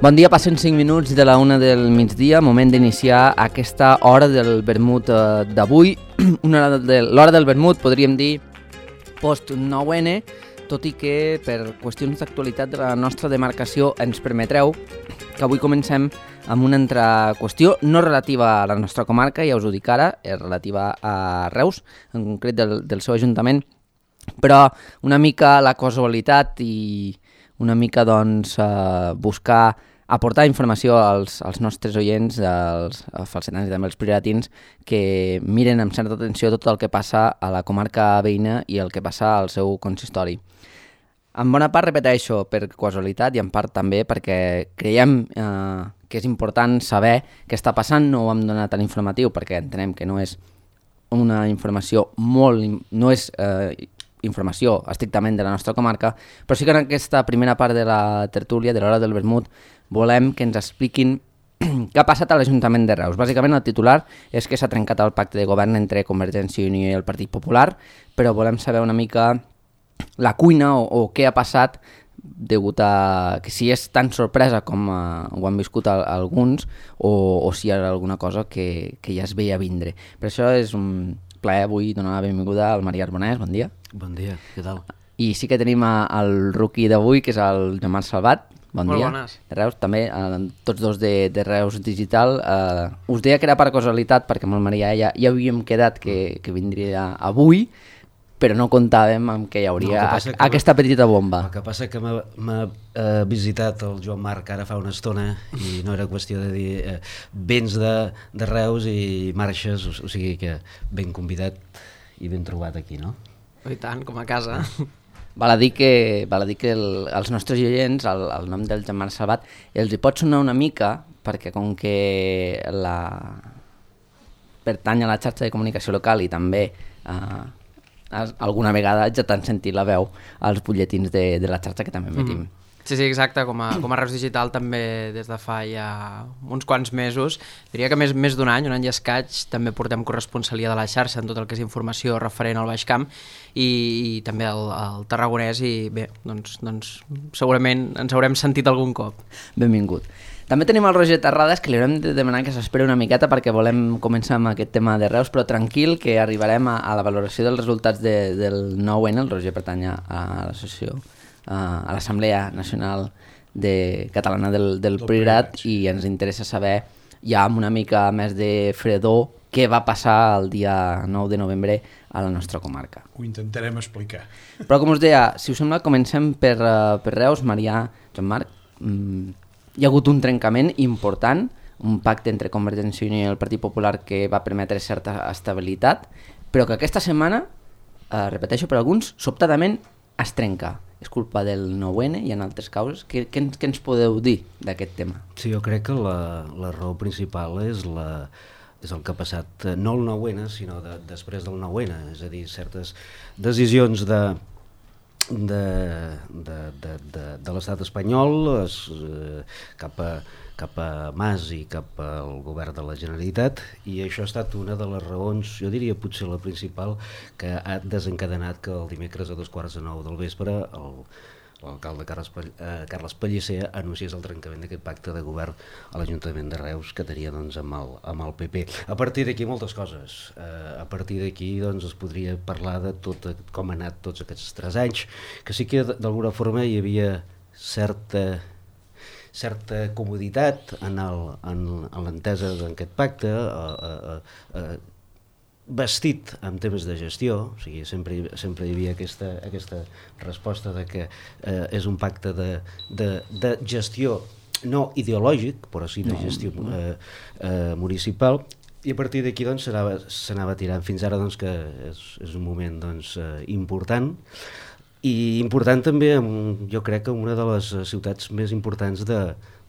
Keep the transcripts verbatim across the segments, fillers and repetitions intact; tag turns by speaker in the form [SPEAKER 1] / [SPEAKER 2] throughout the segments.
[SPEAKER 1] Bon dia, passen cinc minuts de la una del migdia, moment d'iniciar aquesta hora del vermut eh, d'avui. Una hora de, l'hora del vermut, podríem dir, post nou ene, tot i que per qüestions d'actualitat de la nostra demarcació ens permetreu que avui comencem amb una altra qüestió no relativa a la nostra comarca, ja us ho dic ara, és relativa a Reus, en concret del, del seu ajuntament, però una mica la casualitat i una mica doncs eh, buscar aportar informació als, als nostres oients, als falsetans i també als priratins, que miren amb certa atenció tot el que passa a la comarca veïna i el que passa al seu consistori. En bona part, repeteixo, per casualitat i en part també perquè creiem eh, que és important saber què està passant. No ho hem donat a l'informatiu perquè entenem que no és una informació molt... no és eh, informació estrictament de la nostra comarca, però sí que en aquesta primera part de la tertúlia, de l'hora del vermut, volem que ens expliquin què ha passat a l'Ajuntament de Reus. Bàsicament el titular és que s'ha trencat el pacte de govern entre Convergència i Unió i el Partit Popular, però volem saber una mica la cuina o, o què ha passat degut a que si és tan sorpresa com uh, ho han viscut a, a alguns o, o si hi ha alguna cosa que, que ja es veia vindre. Per això és un plaer avui donar la benvinguda al Maria Arbonès. Bon dia.
[SPEAKER 2] Bon dia, què tal?
[SPEAKER 1] I sí que tenim a, el rookie d'avui, que és el Joan-Marc Salvat. Bon
[SPEAKER 3] Molt
[SPEAKER 1] dia.
[SPEAKER 3] Bones.
[SPEAKER 1] De Reus, també, eh, tots dos de, de Reus Digital. Eh, us deia que era per casualitat, perquè amb el Maria ja, ja havíem quedat que, que vindria avui, però no comptàvem amb que hi hauria no, que a, aquesta petita bomba.
[SPEAKER 2] El que passa que m'ha, m'ha eh, visitat el Joan Marc ara fa una estona i no era qüestió de dir eh, vens de, de Reus i marxes, o, o sigui que ben convidat i ben trobat aquí, no?
[SPEAKER 3] I tant, com a casa.
[SPEAKER 1] Val a dir que, val a dir que el, els nostres oients, el, el nom del Joan-Marc Salvat, els hi pot sonar una mica, perquè com que la... pertany a la xarxa de comunicació local i també eh, alguna vegada ja t'han sentit la veu als butlletins de, de la xarxa que també emetim. Mm.
[SPEAKER 3] Sí, sí, exacte, com a, com a Reus Digital també des de fa ja uns quants mesos, diria que més, més d'un any, un any i escaig, també portem corresponsalia de la xarxa en tot el que és informació referent al Baix Camp i, i també al, al Tarragonès i bé, doncs, doncs segurament ens haurem sentit algun cop.
[SPEAKER 1] Benvingut. També tenim el Roger Terrades, que li haurem de demanar que s'esperi una miqueta perquè volem començar amb aquest tema de Reus, però tranquil, que arribarem a, a la valoració dels resultats de, del nou ene. El Roger pertany a l'associació, a l'Assemblea Nacional de Catalana del, del Priorat i ens interessa saber ja amb una mica més de fredor què va passar el dia nou de novembre a la nostra comarca.
[SPEAKER 4] Ho intentarem explicar.
[SPEAKER 1] Però com us deia, si us sembla, comencem per, uh, per Reus. Maria, Joan-Marc, mm, hi ha hagut un trencament important, un pacte entre Convergència i Unió i el Partit Popular que va permetre certa estabilitat, però que aquesta setmana, uh, repeteixo per alguns, sobtadament es trenca. És culpa del nou ene i en altres causes. Què, què, què ens podeu dir d'aquest tema?
[SPEAKER 2] Sí, jo crec que la, la raó principal és, la, és el que ha passat, no el nou ene, sinó de, després del nou ene, és a dir, certes decisions de, de, de, de, de, de l'estat espanyol es, eh, cap a cap a Mas i cap al govern de la Generalitat, i això ha estat una de les raons, jo diria potser la principal, que ha desencadenat que el dimecres a dos quarts de nou del vespre el, l'alcalde Carles, eh, Carles Pellicer anunciés el trencament d'aquest pacte de govern a l'Ajuntament de Reus que tenia doncs, amb, el, amb el P P. A partir d'aquí moltes coses. Eh, a partir d'aquí doncs, es podria parlar de tot com han anat tots aquests tres anys, que sí que d'alguna forma hi havia certa certa comoditat en, el, en, en l'entesa d'aquest pacte, eh, eh, eh, vestit en temes de gestió, o sigui, sempre, sempre hi havia aquesta, aquesta resposta de que eh, és un pacte de, de, de gestió no ideològic, però sí de gestió eh, eh, municipal, I a partir d'aquí doncs, s'anava, s'anava tirant fins ara, doncs, que és, és un moment doncs, eh, important, i important també, jo crec que una de les ciutats més importants de,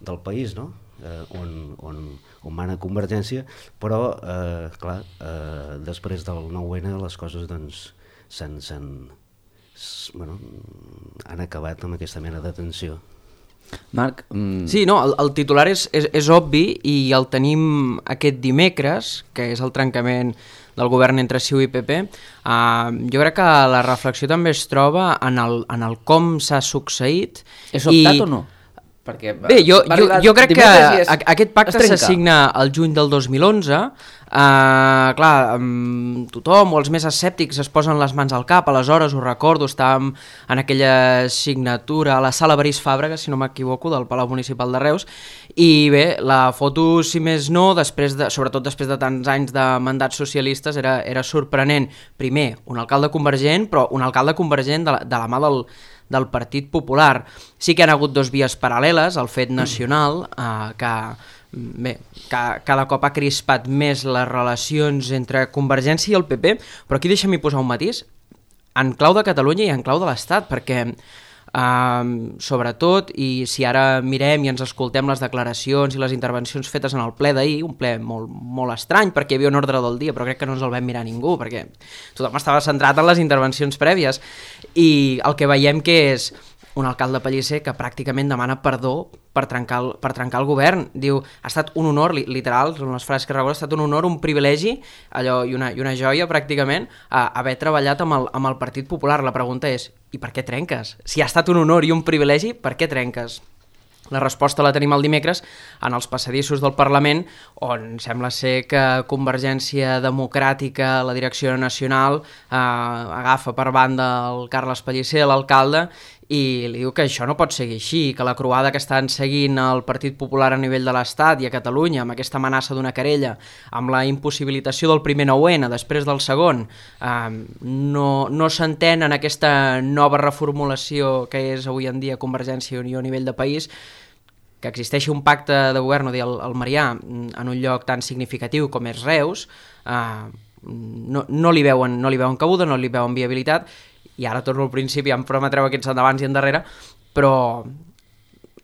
[SPEAKER 2] del país, no? eh, on, on, on mana Convergència, però, eh, clar, eh, després del nou ene les coses doncs, s'han, s'han, bueno, han acabat amb aquesta mena de tensió.
[SPEAKER 1] Marc? Mm...
[SPEAKER 3] Sí, no, el, el titular és, és, és obvi i el tenim aquest dimecres, que és el trencament del govern entre C I U i P P. Uh, jo crec que la reflexió també es troba en el, en el com s'ha succeït.
[SPEAKER 1] És optat
[SPEAKER 3] i...
[SPEAKER 1] o no? Perquè
[SPEAKER 3] Bé, jo, jo, jo crec que
[SPEAKER 1] és...
[SPEAKER 3] aquest pacte s'assigna el juny del dos mil onze. Uh, clar, um, tothom o els més escèptics es posen les mans al cap. Aleshores, ho recordo, estàvem en aquella signatura a la sala Barís Fàbrega, si no m'equivoco, del Palau Municipal de Reus, i bé, la foto, si més no, després de, sobretot després de tants anys de mandats socialistes, era, era sorprenent. Primer, un alcalde convergent, però un alcalde convergent de la, de la mà del del Partit Popular. Sí que hi ha hagut dos vies paral·leles, el fet nacional, eh, que, bé, que cada cop ha crispat més les relacions entre Convergència i el P P, però aquí deixa'm-hi posar un matís, en clau de Catalunya i en clau de l'Estat, perquè eh, sobretot, i si ara mirem i ens escoltem les declaracions i les intervencions fetes en el ple d'ahir, un ple molt, molt estrany, perquè hi havia un ordre del dia, però crec que no ens el vam mirar ningú, perquè tothom estava centrat en les intervencions prèvies, i el que veiem que és un alcalde Pellicer que pràcticament demana perdó per trencar el, per trencar el govern. Diu, ha estat un honor, li, literal, són les frases que recordo, ha estat un honor, un privilegi, allò, i una, i una joia pràcticament, a, haver treballat amb el, amb el Partit Popular. La pregunta és, i per què trenques? Si ha estat un honor i un privilegi, per què trenques? La resposta la tenim el dimecres en els passadissos del Parlament, on sembla ser que Convergència Democràtica, la direcció nacional, eh, agafa per banda el Carles Pellicer, l'alcalde, i li diu que això no pot seguir així, que la croada que estan seguint el Partit Popular a nivell de l'Estat i a Catalunya, amb aquesta amenaça d'una querella, amb la impossibilitació del primer nou ene després del segon, eh, no, no s'entén en aquesta nova reformulació que és avui en dia Convergència i Unió a nivell de país, que existeixi un pacte de govern, o dir, el, el Marià, en un lloc tan significatiu com és Reus, eh, no, no, li veuen, no li veuen cabuda, no li veuen viabilitat, i ara torno al principi, ja em prometreu aquests endavants i endarrere, però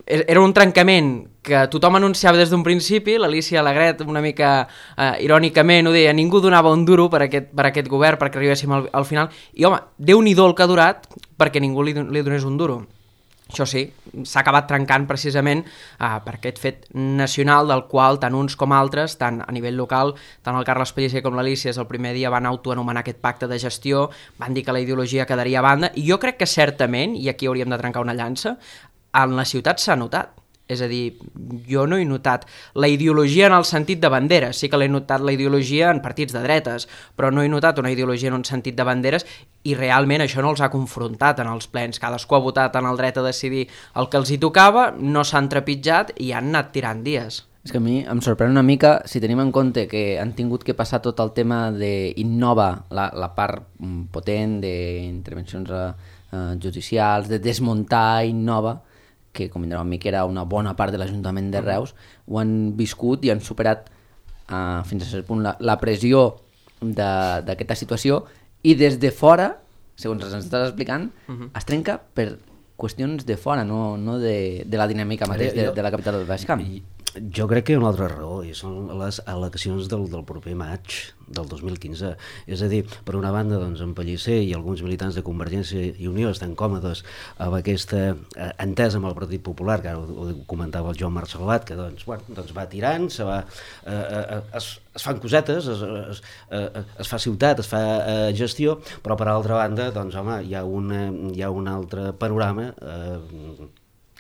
[SPEAKER 3] era un trencament que tothom anunciava des d'un principi, l'Alícia Alegret una mica eh, irònicament ho deia, ningú donava un duro per aquest, per aquest govern perquè arribéssim al, al final, i home, Déu-n'hi-do el que ha durat perquè ningú li, li donés un duro. Això sí, s'ha acabat trencant precisament eh, per aquest fet nacional del qual tant uns com altres, tant a nivell local, tant el Carles Pellicer com l'Alícia el primer dia van autoanomenar aquest pacte de gestió, van dir que la ideologia quedaria a banda, i jo crec que certament, i aquí hauríem de trencar una llança, en la ciutat s'ha notat. És a dir, jo no he notat la ideologia en el sentit de banderes, sí que l'he notat la ideologia en partits de dretes, però no he notat una ideologia en un sentit de banderes, i realment això no els ha confrontat en els plens. Cadascú ha votat en el dret a decidir el que els hi tocava, no s'han trepitjat i han anat tirant dies.
[SPEAKER 1] És que a mi em sorprèn una mica, si tenim en compte que han tingut que passar tot el tema d'innova, la, la part potent d'intervencions eh, judicials, de desmuntar Innova, que com vindrà amb mi que era una bona part de l'Ajuntament de Reus, ho han viscut i han superat uh, fins a cert punt la, la pressió d'aquesta situació, i des de fora, segons ens estàs explicant, uh-huh. es trenca per qüestions de fora, no, no de, de la dinàmica mateix de, de la capital del Baix Camp.
[SPEAKER 2] Jo crec que hi ha una altra raó, i són les eleccions del, del proper maig del dos mil quinze. És a dir, per una banda, doncs, en Pellicer i alguns militants de Convergència i Unió estan còmodes amb aquesta eh, entesa amb el Partit Popular, que ara ho, ho comentava el Joan Marc Salvat, que doncs, bueno, doncs va tirant, se va, eh, eh, es, es fan cosetes, es, es, eh, es fa ciutat, es fa eh, gestió, però per altra banda, doncs, home, hi ha, una, hi ha un altre panorama eh,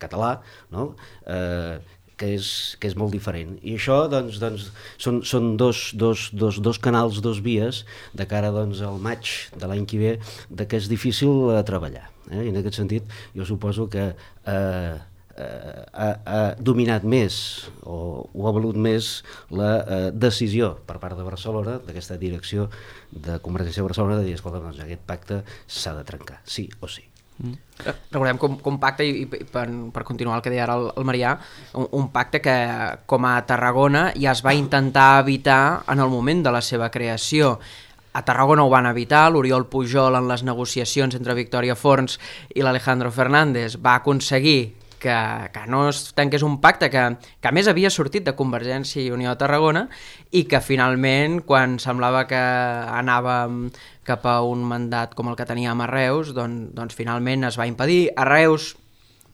[SPEAKER 2] català, no?, eh, que és, que és molt diferent. I això doncs, doncs, són, són dos, dos, dos, dos canals, dos vies de cara doncs, al maig de l'any que ve, de que és difícil eh, treballar. Eh? I en aquest sentit jo suposo que eh, eh, ha, ha dominat més o, o ha valut més la eh, decisió per part de Barcelona, d'aquesta direcció de Convergència de Barcelona, de dir, escolta, doncs, aquest pacte s'ha de trencar, sí o sí.
[SPEAKER 3] Mm. Recordem que un, que un pacte, i, i per, per continuar el que deia ara el, el Marià, un, un pacte que com a Tarragona ja es va intentar evitar en el moment de la seva creació. A Tarragona ho van evitar, l'Oriol Pujol en les negociacions entre Victòria Forns i l'Alejandro Fernández va aconseguir que, que no es tanqués un pacte que, que a més havia sortit de Convergència i Unió de Tarragona i que finalment, quan semblava que anàvem cap a un mandat com el que teníem a Reus, doncs, doncs finalment es va impedir. A Reus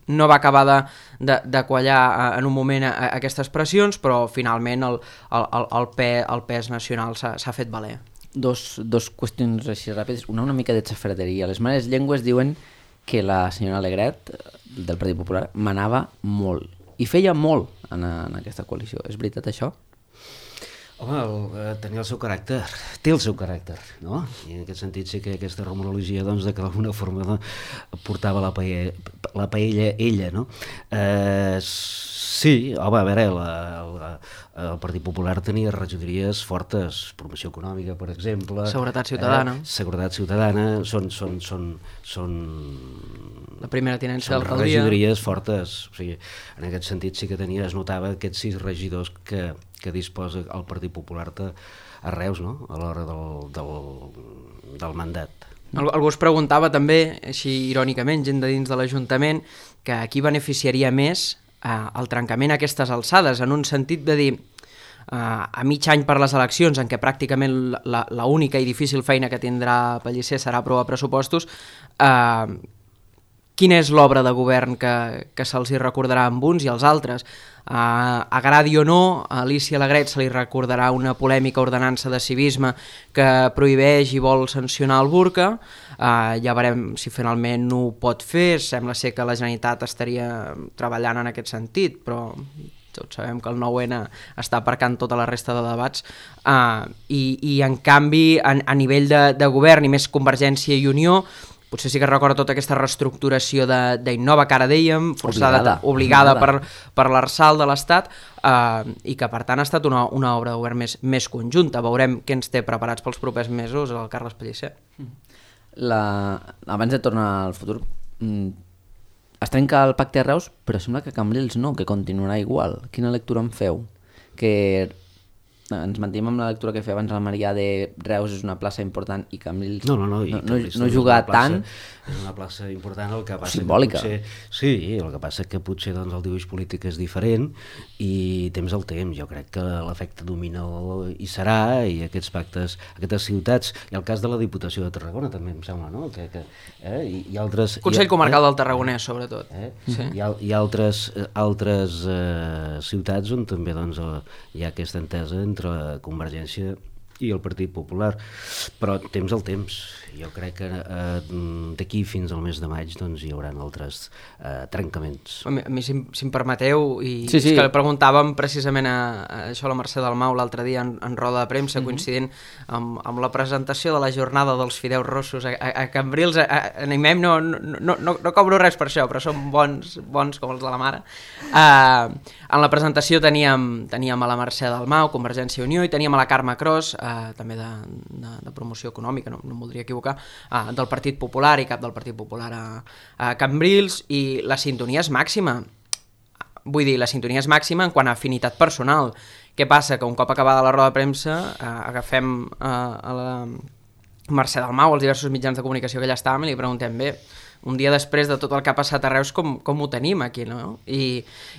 [SPEAKER 3] no va acabar de, de, de quallar en un moment a, a aquestes pressions, però finalment el, el, el, el, pe, el pes nacional s'ha fet valer.
[SPEAKER 1] Dos, dos qüestions així ràpides, una una mica de xafarderia. Les males llengües diuen que la senyora Alegret, del Partit Popular, manava molt, i feia molt en, en aquesta coalició. És veritat això?
[SPEAKER 2] Home, el, eh, tenia el seu caràcter, té el seu caràcter, no? I en aquest sentit sí que aquesta romologia, doncs, de que d'alguna forma no, portava la paella, la paella ella, no? Eh, sí, home, a veure, la, la, el Partit Popular tenia regidories fortes, promoció econòmica, per exemple.
[SPEAKER 3] Seguretat ciutadana.
[SPEAKER 2] Eh, seguretat ciutadana, són... són, són, són
[SPEAKER 3] la primera tinença d'alcaldia.
[SPEAKER 2] Regidories fortes, o sigui, en aquest sentit sí que tenia, es notava aquests sis regidors que, que disposa el Partit Popular a Reus, no?, a l'hora del, del, del mandat.
[SPEAKER 3] Algú es preguntava també, així irònicament, gent de dins de l'Ajuntament, que a qui beneficiaria més eh, el trencament a aquestes alçades, en un sentit de dir, eh, a mig any per les eleccions, en què pràcticament l'única i difícil feina que tindrà Pellicer serà aprovar pressupostos, eh, quina és l'obra de govern que, que se'ls hi recordarà amb uns i els altres? Uh, agradi o no, a Alicia Alegret se li recordarà una polèmica ordenança de civisme que prohibeix i vol sancionar el burca. Uh, ja veurem si finalment ho pot fer. Sembla ser que la Generalitat estaria treballant en aquest sentit, però tots sabem que el nou ene està aparcant tota la resta de debats, uh, i, i en canvi a, a nivell de, de govern i més Convergència i Unió, potser sí que recorda tota aquesta reestructuració d'Innova, que ara dèiem, forçada, obligada, obligada, obligada. per, per l'Arsal de l'Estat, eh, i que per tant ha estat una, una obra de govern més, més conjunta. Veurem què ens té preparats pels propers mesos el Carles Pellicer.
[SPEAKER 1] La... Abans de tornar al futur, es trenca el pacte a Reus, però sembla que Cambrils no, que continuarà igual. Quina lectura en feu? Que ens mantenim amb la lectura que feia abans el Marià de Reus és una plaça important i Cambrils
[SPEAKER 2] no, no, no, i
[SPEAKER 1] no, no, no juga tant.
[SPEAKER 2] És una plaça important, el que passa
[SPEAKER 1] simbòlica.
[SPEAKER 2] Que potser, sí, el que passa que potser doncs, el dibuix polític és diferent i temps al temps. Jo crec que l'efecte dominó hi serà i aquests pactes, aquestes ciutats, i el cas de la Diputació de Tarragona també em sembla, no? Que, que, eh, i, i altres...
[SPEAKER 3] Consell
[SPEAKER 2] i,
[SPEAKER 3] Comarcal
[SPEAKER 2] eh,
[SPEAKER 3] del Tarragonès, sobretot.
[SPEAKER 2] Eh?
[SPEAKER 3] Sí.
[SPEAKER 2] Hi ha, hi ha altres, altres eh, ciutats on també doncs, hi ha aquesta entesa entre Convergència i el Partit Popular, però temps al temps. Jo crec que eh, d'aquí fins al mes de maig doncs, hi haurà altres eh, trencaments.
[SPEAKER 3] A mi, a mi si, si em permeteu, i
[SPEAKER 1] sí, sí.
[SPEAKER 3] és que preguntàvem precisament a, a això a la Mercè Dalmau l'altre dia en, en roda de premsa, mm-hmm. coincidint amb, amb la presentació de la jornada dels fideus rossos a, a, a Cambrils. A, a, animem, no, no, no, no, no cobro res per això, però són bons, bons com els de la mare. Uh, en la presentació teníem, teníem a la Mercè Dalmau, Convergència i Unió, i teníem a la Carme Cros, uh, també de, de, de promoció econòmica, no, no em voldria equivocar, Uh, del Partit Popular i cap del Partit Popular a, a Cambrils, i la sintonia és màxima. Vull dir, la sintonia és màxima en quant a afinitat personal. Què passa? Que un cop acabada la roda de premsa uh, agafem uh, a la Mercè Dalmau, als diversos mitjans de comunicació que allà estàvem, i li preguntem, bé, un dia després de tot el que ha passat a Reus, com, com ho tenim aquí, no? I,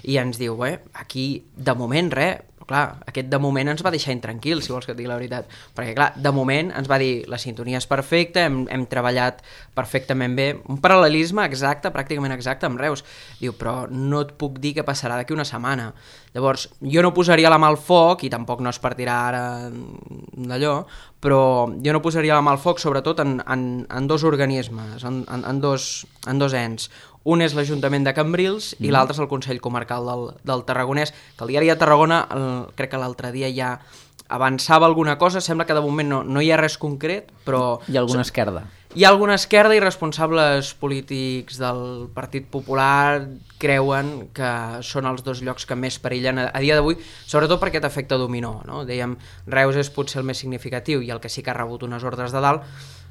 [SPEAKER 3] i ens diu, bé, aquí de moment res. Clar, aquest de moment ens va deixar intranquils, si vols que et digui la veritat, perquè clar, de moment ens va dir la sintonia és perfecta, hem, hem treballat perfectament bé, un paral·lelisme exacte, pràcticament exacte amb Reus. Diu, però no et puc dir què passarà d'aquí una setmana. Llavors, jo no posaria la mà al foc, i tampoc no es partirà ara d'allò, però jo no posaria la mà al foc sobretot en, en, en dos organismes, en, en, en, dos, en dos ens. Un és l'Ajuntament de Cambrils i mm. l'altre és el Consell Comarcal del, del Tarragonès, que el diari de Tarragona, el, crec que l'altre dia ja avançava alguna cosa, sembla que de moment no, no hi ha res concret, però...
[SPEAKER 1] Hi ha alguna esquerda.
[SPEAKER 3] Hi ha alguna esquerda i responsables polítics del Partit Popular creuen que són els dos llocs que més perillen a, a dia d'avui, sobretot per aquest efecte dominó, no? Dèiem, Reus és potser el més significatiu i el que sí que ha rebut unes ordres de dalt,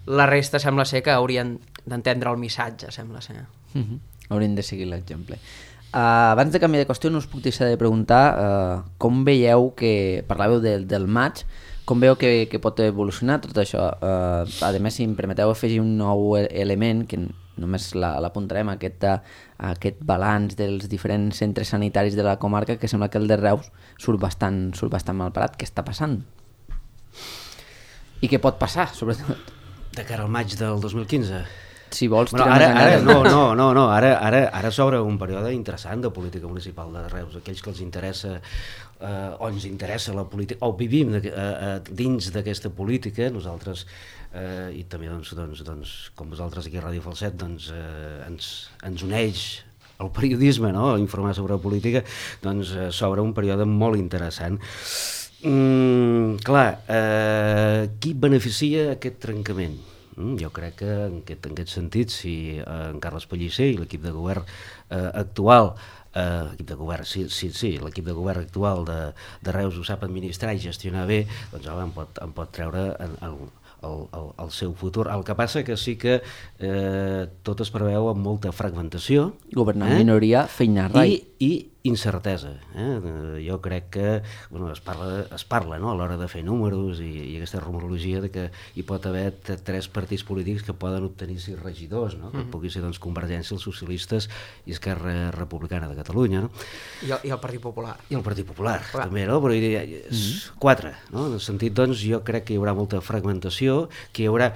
[SPEAKER 3] la resta sembla ser que haurien d'entendre el missatge, sembla ser.
[SPEAKER 1] Uh -huh. Haurien de seguir l'exemple. Uh, abans de canviar de qüestió, no us puc deixar de preguntar uh, com veieu que, parlàveu del, del maig, com veieu que, que pot evolucionar tot això? Uh, a més, si em permeteu afegir un nou element, que només l'apuntarem, aquest, uh, aquest balanç dels diferents centres sanitaris de la comarca, que sembla que el de Reus surt bastant, surt bastant mal parat. Què està passant? I què pot passar, sobretot?
[SPEAKER 2] De cara al maig del dos mil quinze?
[SPEAKER 1] Si vols,
[SPEAKER 2] bueno, ara, ara, no, no, no, no, ara, ara, ara s'obre un període interessant de política municipal de Reus. Aquells que els interessa eh, o ens interessa la política, o vivim de, eh, dins d'aquesta política, nosaltres, eh, i també doncs, doncs, doncs, com vosaltres aquí a Ràdio Falset, doncs, eh, ens, ens uneix el periodisme, no? Informar sobre política, doncs eh, s'obre un període molt interessant. Mm, clar, eh, qui beneficia aquest trencament? Jo crec que en aquest, en aquest sentit, si en Carles Pellicer i l'equip de govern eh, actual, eh, equip de govern, sí, sí, sí l'equip de govern actual de, de Reus ho sap administrar i gestionar bé, doncs home, em, pot, em pot treure en, en, el, el, el seu futur. El que passa que sí que eh, tot es preveu amb molta fragmentació.
[SPEAKER 1] Governar en eh? minoria, feina rai.
[SPEAKER 2] I, i incertesa. Eh? Jo crec que bueno, es parla, es parla no? a l'hora de fer números i, i aquesta rumorologia de que hi pot haver tres partits polítics que poden obtenir sis regidors, no? que mm. pugui ser doncs, Convergència, els socialistes i Esquerra Republicana de Catalunya. No?
[SPEAKER 3] I, el, I el Partit Popular.
[SPEAKER 2] I el Partit Popular, Clar. també, no? Però hi ha, mm. quatre. No? En el sentit, doncs, jo crec que hi haurà molta fragmentació, que hi haurà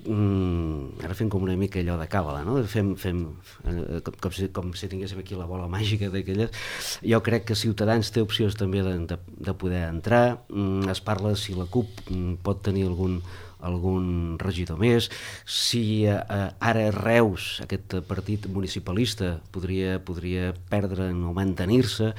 [SPEAKER 2] Mm, ara fem com una mica allò de càbala, no? Fem, fem eh, com, com, si, com si tinguéssim aquí la bola màgica d'aquelles. Jo crec que Ciutadans té opcions també de, de, de poder entrar. Mm, es parla si la CUP mm, pot tenir algun, algun regidor més, si eh, ara Reus, aquest partit municipalista, podria, podria perdre o mantenir-se.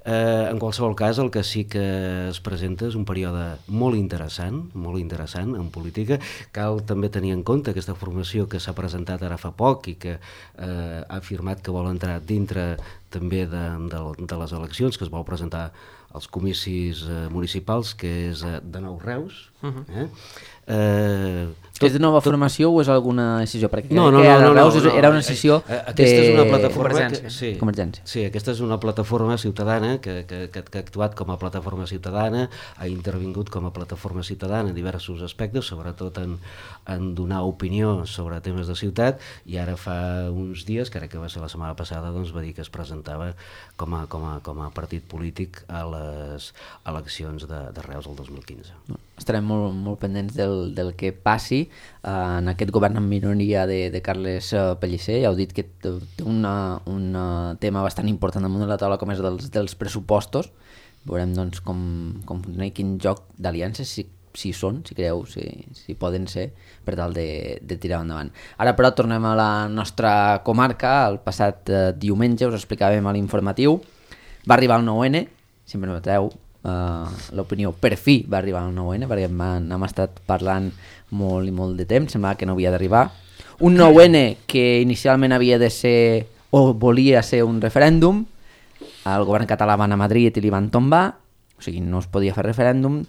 [SPEAKER 2] Eh, en qualsevol cas, el que sí que es presenta és un període molt interessant, molt interessant en política. Cal també tenir en compte aquesta formació que s'ha presentat ara fa poc i que eh, ha afirmat que vol entrar dintre també de, de, de les eleccions, que es vol presentar als comicis eh, municipals, que és eh, de Nou Reus. Uh-huh. eh? Eh,
[SPEAKER 1] tot, és de nova tot... formació o és alguna decisió? Perquè
[SPEAKER 2] no, no,
[SPEAKER 1] que
[SPEAKER 2] no, no,
[SPEAKER 1] Reus
[SPEAKER 2] no, no.
[SPEAKER 1] era una decisió
[SPEAKER 2] eh, eh, aquesta
[SPEAKER 1] de...
[SPEAKER 2] és una plataforma
[SPEAKER 3] Convergència.
[SPEAKER 2] Que, sí,
[SPEAKER 1] Convergència.
[SPEAKER 2] Sí, aquesta és una plataforma ciutadana que, que, que, que ha actuat com a plataforma ciutadana, ha intervingut com a plataforma ciutadana en diversos aspectes, sobretot en, en donar opinió sobre temes de ciutat, i ara fa uns dies, crec que va ser la setmana passada, doncs va dir que es presentava com a, com a, com a partit polític a les eleccions de, de Reus el dos mil quinze.
[SPEAKER 1] Estarem molt, molt pendents del, del que passi eh, en aquest govern en minoria de, de Carles Pellicer. Ja heu dit que té una, un tema bastant important damunt de la taula, com és dels, dels pressupostos. Veurem doncs, com, com funciona i quin joc d'aliances, si, si són, si creieu, si, si poden ser, per tal de, de tirar endavant. Ara, però, tornem a la nostra comarca. El passat eh, diumenge us explicàvem a l'informatiu. Va arribar el nou ene, si em permeteu, Uh, l'opinió per fi va arribar al nou ene, perquè hem, hem estat parlant molt i molt de temps, semblava que no havia d'arribar. Un nou ene que inicialment havia de ser o volia ser un referèndum, el govern català va anar a Madrid i li van tombar, o sigui, no es podia fer referèndum,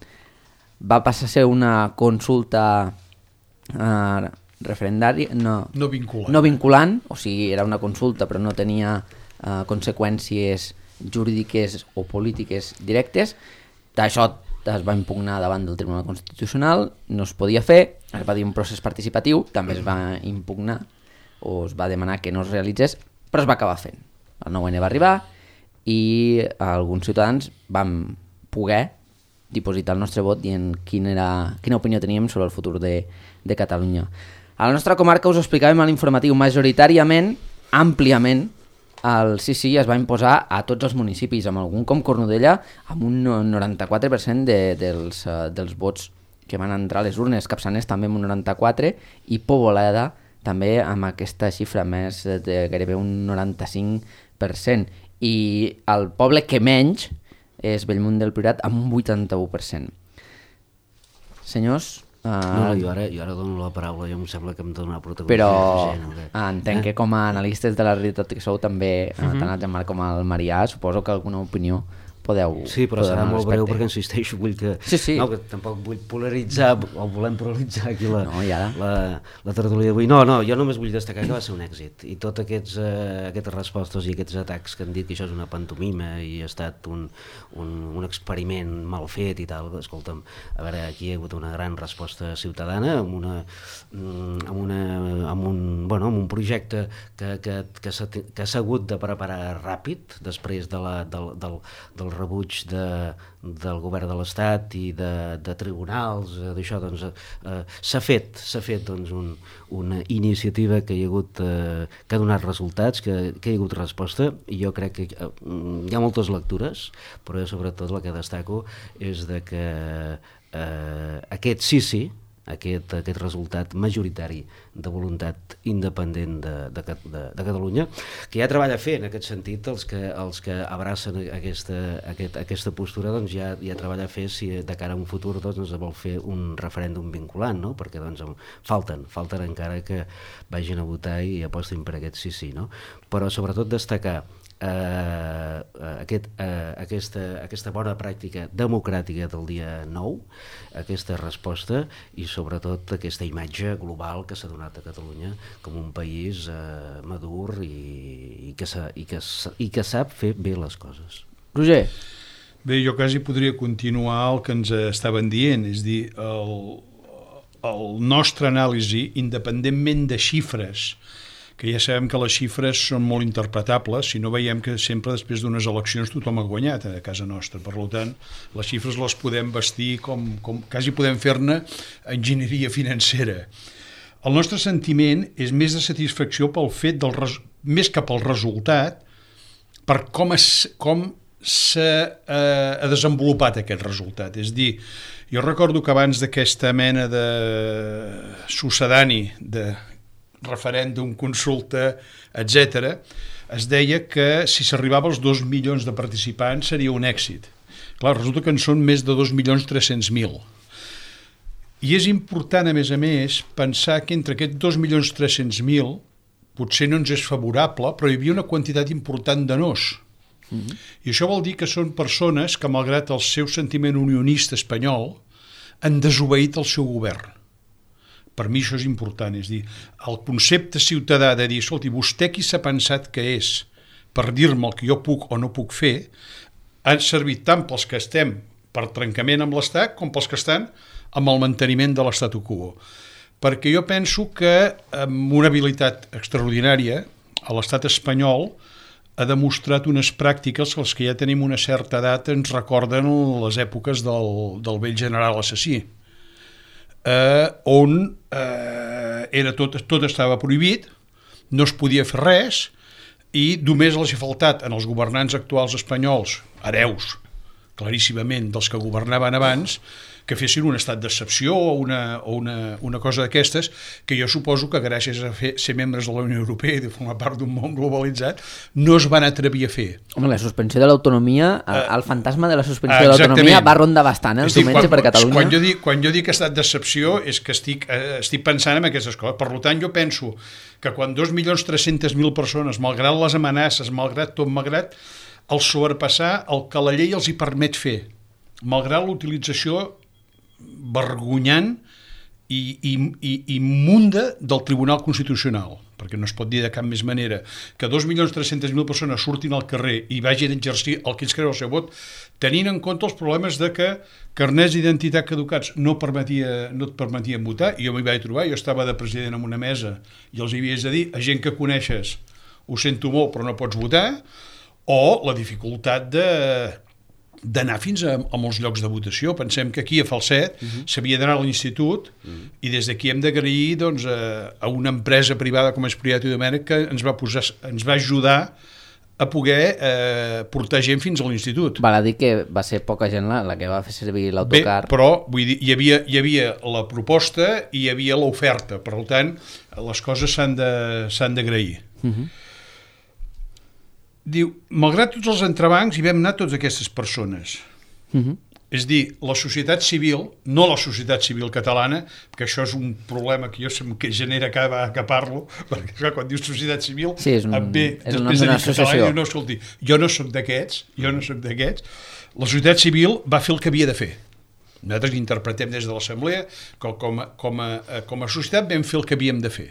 [SPEAKER 1] va passar a ser una consulta uh, referendària, no,
[SPEAKER 4] no, vinculant.
[SPEAKER 1] no vinculant, o sigui, era una consulta però no tenia uh, conseqüències jurídiques o polítiques directes. Això es va impugnar davant del Tribunal Constitucional, no es podia fer, es va dir un procés participatiu, també es va impugnar o es va demanar que no es realitzés, però es va acabar fent. El nou ene va arribar i alguns ciutadans vam poder dipositar el nostre vot dient quin era, quina opinió teníem sobre el futur de, de Catalunya. A la nostra comarca us ho explicàvem a l'informatiu, majoritàriament, àmpliament, el sí sí es va imposar a tots els municipis, amb algun com Cornudella, amb un noranta-quatre per cent de, dels, uh, dels vots que van entrar a les urnes, Capçanes també amb un noranta-quatre per cent i Poboleda també amb aquesta xifra més de gairebé un noranta-cinc per cent. I el poble que menys és Bellmunt del Priorat amb un vuitanta-u per cent. Senyors... Uh,
[SPEAKER 2] no, jo ara, jo ara dono la paraula, jo em sembla que em dona protagonisme.
[SPEAKER 1] Però
[SPEAKER 2] gent, okay.
[SPEAKER 1] entenc eh? que com a analistes de la realitat que sou també, uh-huh. tant el Jean-Marc com el Marià, suposo que alguna opinió podeu...
[SPEAKER 2] Sí, però serà molt breu perquè insisteixo, vull que...
[SPEAKER 1] Sí, sí.
[SPEAKER 2] No, que tampoc vull polaritzar, o volem polaritzar aquí la,
[SPEAKER 1] no, ja.
[SPEAKER 2] la, la tertúlia d'avui. No, no, jo només vull destacar que va ser un èxit. I tots aquests, eh, aquestes respostes i aquests atacs que han dit que això és una pantomima i ha estat un, un, un experiment mal fet i tal, escolta'm, a veure, aquí hi ha hagut una gran resposta ciutadana amb, una, amb, una, amb, un, bueno, amb un projecte que, que, que s'ha hagut de preparar ràpid després de la, del, del, del rebuig de, del govern de l'Estat i de, de tribunals, eh, d'això doncs eh, s'ha fet, s'ha fet doncs, un, una iniciativa que hi ha hagut eh, que ha donat resultats, que, que hi ha hagut resposta, i jo crec que eh, hi ha moltes lectures, però jo sobretot la que destaco és de que eh, aquest sí sí Aquest, aquest resultat majoritari de voluntat independent de, de, de, de Catalunya, que ja treballa a fer en aquest sentit els que, els que abracen aquesta, aquest, aquesta postura, doncs ja, ja treballa a fer si de cara a un futur doncs, vol fer un referèndum vinculant, no? Perquè doncs, falten, falten encara que vagin a votar i apostin per aquest sí sí, no? Però sobretot destacar Uh, aquest, uh, aquesta, aquesta bona pràctica democràtica del dia nou, aquesta resposta i sobretot aquesta imatge global que s'ha donat a Catalunya com un país uh, madur i, i, que sa, i, que, i que sap fer bé les coses.
[SPEAKER 1] Roger?
[SPEAKER 4] Bé, jo quasi podria continuar el que ens estaven dient, és dir, el, el nostre anàlisi, independentment de xifres, que ja sabem que les xifres són molt interpretables, si no veiem que sempre després d'unes eleccions tothom ha guanyat a casa nostra. Per tant, les xifres les podem vestir com, com quasi podem fer-ne enginyeria financera. El nostre sentiment és més de satisfacció pel fet, del res, més que pel resultat, per com es, com s'ha eh, desenvolupat aquest resultat. És dir, jo recordo que abans d'aquesta mena de succedani, de referèndum, consulta, etcètera, es deia que si s'arribava als dos milions de participants seria un èxit. Clar, resulta que en són més de dos milions tres-cents mil. I és important, a més a més, pensar que entre aquests dos milions tres-cents mil potser no ens és favorable, però hi havia una quantitat important de nos. Mm-hmm. I això vol dir que són persones que, malgrat el seu sentiment unionista espanyol, han desobeït el seu govern. Per mi això és important, és dir, el concepte ciutadà de dir, escolti, vostè qui s'ha pensat que és per dir-me el que jo puc o no puc fer, han servit tant pels que estem per trencament amb l'Estat com pels que estan amb el manteniment de l'statu quo. Perquè jo penso que amb una habilitat extraordinària l'Estat espanyol ha demostrat unes pràctiques que els que ja tenim una certa edat ens recorden les èpoques del, del vell general assassí. Eh, on eh, era tot, tot estava prohibit, no es podia fer res i només els ha faltat en els governants actuals espanyols, hereus claríssimament dels que governaven abans, que fessin un estat d'excepció o una, o una, una cosa d'aquestes, que jo suposo que gràcies a fer, ser membres de la Unió Europea i de formar part d'un món globalitzat no es van atrevir a fer.
[SPEAKER 1] Home, la suspensió de l'autonomia, uh, el fantasma de la suspensió uh, de l'autonomia va rondar bastant el diumenge per Catalunya.
[SPEAKER 4] Quan jo dic, quan jo dic estat d'excepció és que estic, eh, estic pensant en aquestes coses. Per tant, jo penso que quan dos milions tres-cents mil persones, malgrat les amenaces, malgrat tot, malgrat el sobrepassar el que la llei els hi permet fer, malgrat l'utilització vergonyant i, i, i, i munda del Tribunal Constitucional, perquè no es pot dir de cap més manera que dos milions tres-cents mil persones surtin al carrer i vagin a exercir el que ells creuen el seu vot, tenint en compte els problemes de que carnets d'identitat caducats no, permetia, no et permetien votar, i jo m'hi vaig trobar, jo estava de president en una mesa i els hi havies de dir a gent que coneixes, ho sento molt però no pots votar, o la dificultat de d'anar fins a, a molts llocs de votació. Pensem que aquí a Falset uh-huh. s'havia d'anar a l'institut uh-huh. i des d'aquí hem d'agrair doncs, a, a una empresa privada com és Priat i Domènech que ens va, posar, ens va ajudar a poder eh, portar gent fins a l'institut.
[SPEAKER 1] Val a dir que va ser poca gent la, la que va fer servir l'autocar.
[SPEAKER 4] Bé, però vull dir, hi havia, hi havia la proposta i hi havia l'oferta, per tant les coses s'han de, s'han d'agrair. Uh-huh. Diu, malgrat tots els entrebancs hi vam anar tots aquestes persones. Uh-huh. És dir, la societat civil, no la societat civil catalana, perquè això és un problema que jo sem que genera cada vegada que parlo, perquè clar, quan dius societat civil,
[SPEAKER 1] sí, és un,
[SPEAKER 4] em ve
[SPEAKER 1] és
[SPEAKER 4] després de
[SPEAKER 1] dir
[SPEAKER 4] català, i diu, no, escolti, jo no soc d'aquests, jo no soc d'aquests. La societat civil va fer el que havia de fer. Nosaltres interpretem des de l'Assemblea que com a, com, a, com a societat vam fer el que havíem de fer.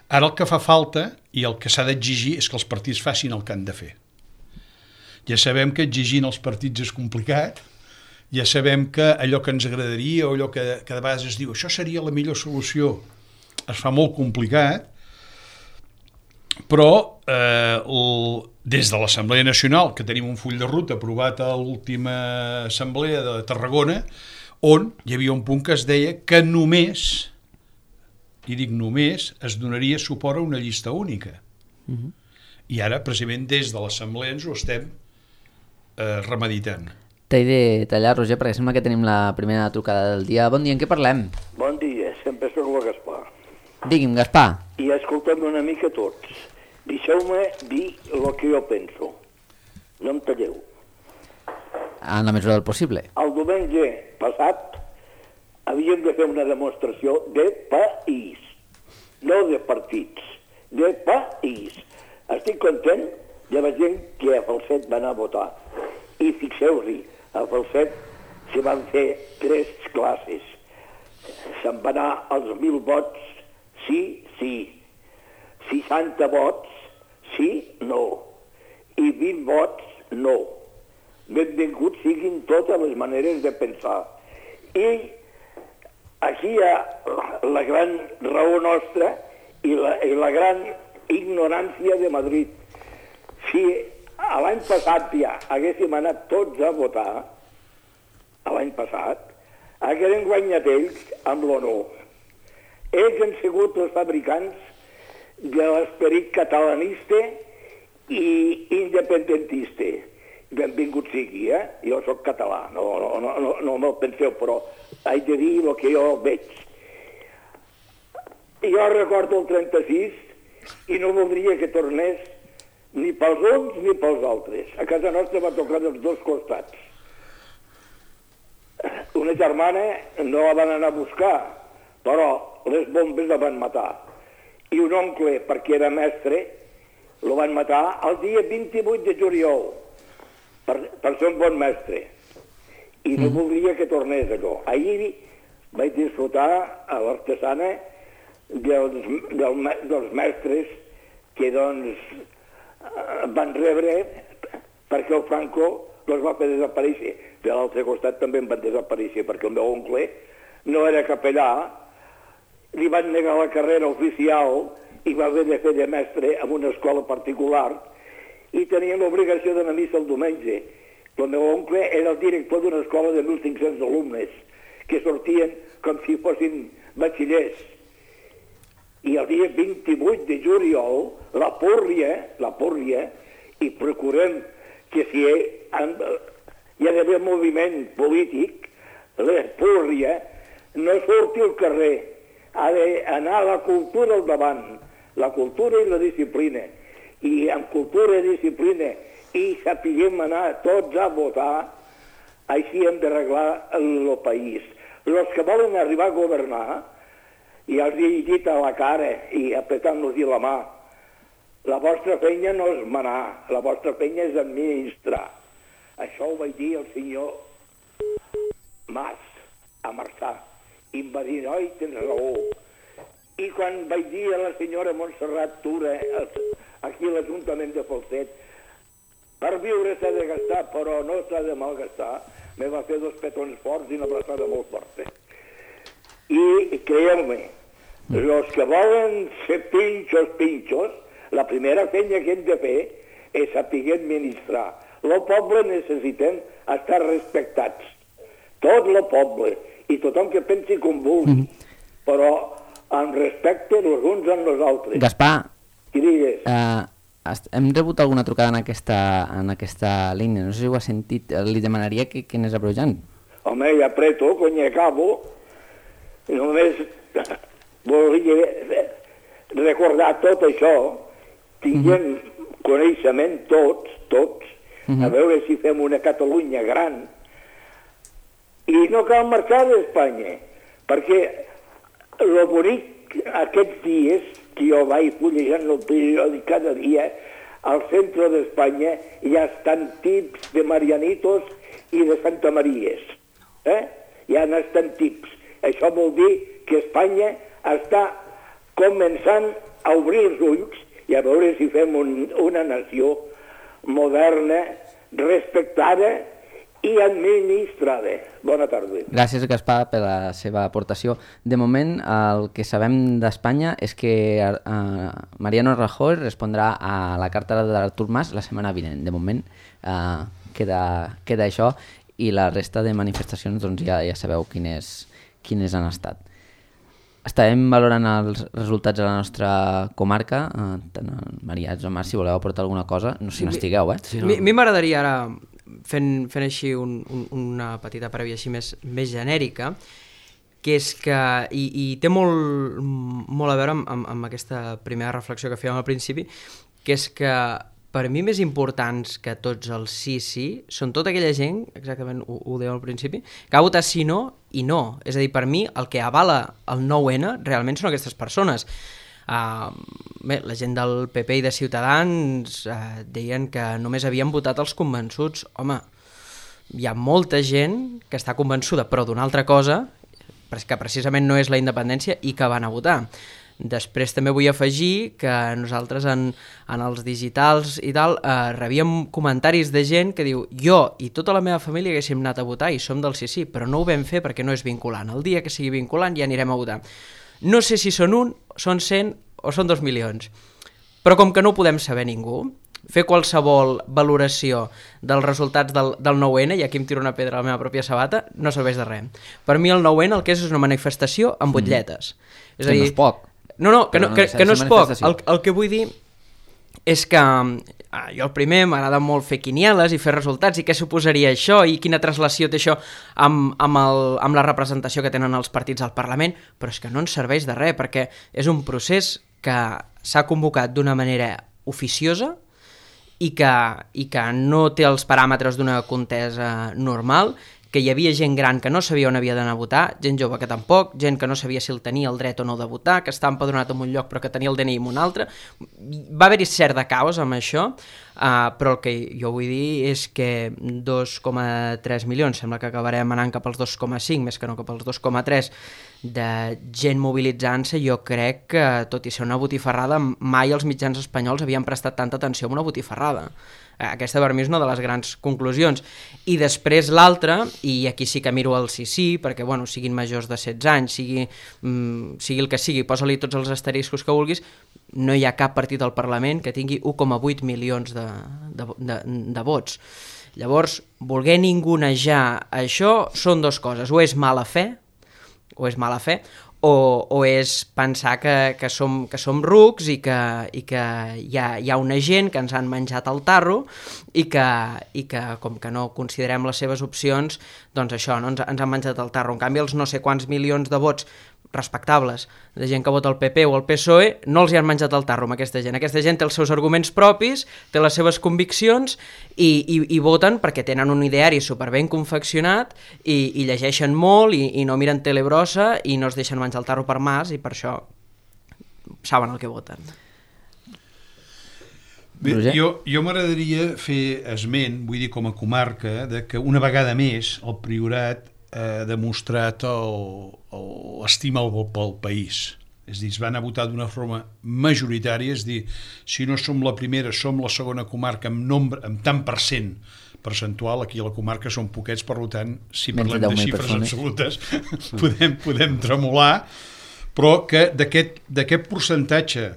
[SPEAKER 4] Ara el que fa falta i el que s'ha d'exigir és que els partits facin el que han de fer. Ja sabem que exigint els partits és complicat, ja sabem que allò que ens agradaria o allò que cada vegada es diu això seria la millor solució, es fa molt complicat, però eh, el, des de l'Assemblea Nacional, que tenim un full de ruta aprovat a l'última assemblea de Tarragona, on hi havia un punt que es deia que només, i dic només, es donaria suport a una llista única. Uh-huh. I ara, precisament, des de l'Assemblea ens ho estem eh, remeditant.
[SPEAKER 1] T'he de tallar, Roger, perquè sembla que tenim la primera trucada del dia. Bon dia, en què parlem?
[SPEAKER 5] Bon dia, sempre soc el Gaspar.
[SPEAKER 1] Digui'm, Gaspar.
[SPEAKER 5] I escoltem una mica tots. Deixeu-me dir el que jo penso. No em talleu.
[SPEAKER 1] En la mesura del possible.
[SPEAKER 5] El diumenge passat havíem de fer una demostració de país, no de partits, de país. Estic content de la gent que a Falset va anar a votar. I fixeu-hi, a Falset s'hi van fer tres classes. Se'n van anar els mil vots, sí, sí. seixanta vots, sí, no. I vint vots, no. Benvinguts siguin totes les maneres de pensar. I aquí hi ha la gran raó nostra i la, i la gran ignorància de Madrid. Si l'any passat ja haguéssim anat tots a votar, l'any passat, hagueren guanyat ells amb l'O N U. Ells han sigut els fabricants de l'esperit catalanista i independentista. Benvingut sigui, eh? Jo sóc català, no, no, no, no, no me'l penseu, però haig de dir el que jo veig. Jo recordo el trenta-sis i no voldria que tornés ni pels uns ni pels altres. A casa nostra va tocar dels dos costats. Una germana no la van anar a buscar, però les bombes la van matar. I un oncle, perquè era mestre, lo van matar el dia vint-i-vuit de juliol, per, per ser un bon mestre. I no voldria que tornés allò. Ahir vaig disfrutar a l'artesana dels, del, dels mestres que, doncs, van rebre perquè el Franco els va fer desaparèixer. De l'altre costat també en van desaparèixer perquè el meu oncle no era capellà, li van negar la carrera oficial i va haver de fer de mestre en una escola particular i tenia l'obligació d'anar a missa el diumenge. El meu oncle era el director d'una escola de mil cinc-cents alumnes que sortien com si fossin batxillers. I el dia vint-i-vuit de juliol, la púrria, la púrria, i procurem que si hi ha, hi ha d'haver moviment polític, la púrria no surti al carrer, ha d'anar a la cultura al davant, la cultura i la disciplina. I amb cultura i disciplina i sapiguem anar tots a votar, així hem d'arreglar el país. Els que volen arribar a governar, i els he dit a la cara i apretant-los la mà, la vostra feina no és manar, la vostra feina és administrar. Això ho vaig dir al senyor Mas, a Marçà, i em va dir, oi, tens raó. I quan vaig dir a la senyora Montserrat Tura, aquí a l'Ajuntament de Falset, per viure s'ha de gastar, però no s'ha de malgastar, me va fer dos petons forts i una abraçada molt forta. I creieu-me, els que volen ser pinxos, pinxos, la primera feina que hem de fer és saber administrar. El poble necessitem estar respectats. Tot el poble i tothom que pensi com vulgui, mm -hmm. però amb respecte els uns amb els altres.
[SPEAKER 1] Gaspar,
[SPEAKER 5] Qui digues?
[SPEAKER 1] Uh, hem rebut alguna trucada en aquesta, en aquesta línia, no sé si ho has sentit, li demanaria que, que anés abrojant.
[SPEAKER 5] Home, ja apreto, cony, acabo. Només volia recordar tot això, tinguem mm -hmm. coneixement tots, tots, mm -hmm. a veure si fem una Catalunya gran, I no cal marxar d'Espanya, perquè el bonic aquests dies, que jo vaig fullejant el periòdic cada dia, al centre d'Espanya ja estan tips de Marianitos i de Santa Maries. Eh? Ja n'estan tips. Això vol dir que Espanya està començant a obrir els ulls i a veure si fem un, una nació moderna, respectada i administrada. Bona tarda.
[SPEAKER 1] Gràcies, Gaspar, per la seva aportació. De moment, el que sabem d'Espanya és que uh, Mariano Rajoy respondrà a la carta d'Artur Mas la setmana vinent. De moment, uh, queda, queda això, i la resta de manifestacions doncs, ja, ja sabeu quines, quines han estat. Estarem valorant els resultats de la nostra comarca. Uh, tant el Maria o Marc, si voleu aportar alguna cosa, no si n'estigueu, eh?
[SPEAKER 3] A mi m'agradaria ara, fent, fent així un, un, una petita prèvia així més, més genèrica, que és que, i, i té molt, molt a veure amb, amb, amb aquesta primera reflexió que fèiem al principi, que és que per mi més importants que tots els sí, sí, són tota aquella gent, exactament ho, ho deia al principi, que ha votat sí, no i no. És a dir, per mi el que avala el nou ene realment són aquestes persones. Uh, bé, la gent del P P i de Ciutadans uh, deien que només havien votat els convençuts. Home, hi ha molta gent que està convençuda, però d'una altra cosa, que precisament no és la independència, i que van a votar. Després també vull afegir que nosaltres en, en els digitals i tal eh, rebíem comentaris de gent que diu jo i tota la meva família haguéssim anat a votar i som del sí sí, però no ho vam fer perquè no és vinculant. El dia que sigui vinculant ja anirem a votar. No sé si són un, són cent o són dos milions, però com que no ho podem saber ningú, fer qualsevol valoració dels resultats del, del nou ene, i aquí em tiro una pedra a la meva pròpia sabata, no serveix de res. Per mi el nou ene el que és és una manifestació amb butlletes. Mm. És
[SPEAKER 1] que
[SPEAKER 3] a dir,
[SPEAKER 1] no és poc.
[SPEAKER 3] No, no, que no, que, que no és poc. El, el que vull dir és que ah, jo el primer m'agrada molt fer quinieles i fer resultats i què suposaria això i quina translació té això amb, amb, el, amb la representació que tenen els partits al Parlament, però és que no ens serveix de res perquè és un procés que s'ha convocat d'una manera oficiosa i que, i que no té els paràmetres d'una contesa normal, que hi havia gent gran que no sabia on havia d'anar a votar, gent jove que tampoc, gent que no sabia si el tenia el dret o no de votar, que estava empadronat en un lloc però que tenia el de ena i en un altre. Va haver-hi cert de caos amb això, uh, però el que jo vull dir és que dos coma tres milions, sembla que acabarem anant cap als dos coma cinc, més que no cap als dos coma tres, de gent mobilitzant-se, jo crec que, tot i ser una botifarrada, mai els mitjans espanyols havien prestat tanta atenció a una botifarrada. Aquesta per mi és una de les grans conclusions. I després l'altra, i aquí sí que miro el sí sí, perquè bueno, siguin majors de setze anys, sigui, mm, sigui el que sigui, posa-li tots els asteriscos que vulguis, no hi ha cap partit al Parlament que tingui u coma vuit milions de, de, de, de vots. Llavors, voler ningunejar això són dues coses, o és mala fe, o és mala fe, o, o és pensar que, que, som, que som rucs i que, i que hi, ha, hi ha una gent que ens han menjat el tarro i que, i que com que no considerem les seves opcions, doncs això, no, ens, ens han menjat el tarro. En canvi, els no sé quants milions de vots respectables de gent que vota el P P o el P S O E no els hi han menjat el tarro amb aquesta gent. Aquesta gent té els seus arguments propis, té les seves conviccions i, i, i voten perquè tenen un ideari superben confeccionat i, i llegeixen molt i, i no miren tele brossa i no es deixen menjar el tarro per mas i per això saben el que voten.
[SPEAKER 4] Bé, jo, jo m'agradaria fer esment, vull dir com a comarca, de que una vegada més el Priorat ha demostrat l'estima pel país. És a dir, es van a votar d'una forma majoritària, és a dir, si no som la primera, som la segona comarca amb, nombre, amb tant per cent percentual, aquí a la comarca són poquets, per tant, si parlem de xifres absolutes, podem, podem tremolar, però que d'aquest percentatge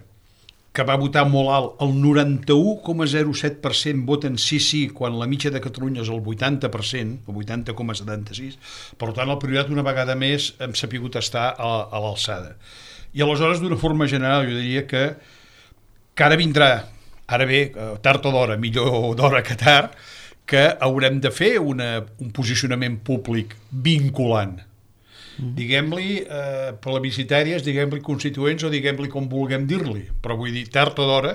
[SPEAKER 4] que va votar molt alt, el noranta-u coma zero set per cent voten sí, sí, quan la mitja de Catalunya és el vuitanta per cent, el vuitanta coma setanta-sis, per tant el Priorat una vegada més hem sapigut estar a, a l'alçada. I aleshores, d'una forma general, jo diria que, que ara vindrà, ara bé, tard o d'hora, millor d'hora que tard, que haurem de fer una, un posicionament públic vinculant. Mm. Diguem-li eh, plebiscitàries, diguem-li constituents o diguem-li com vulguem dir-li, però vull dir tard o d'hora,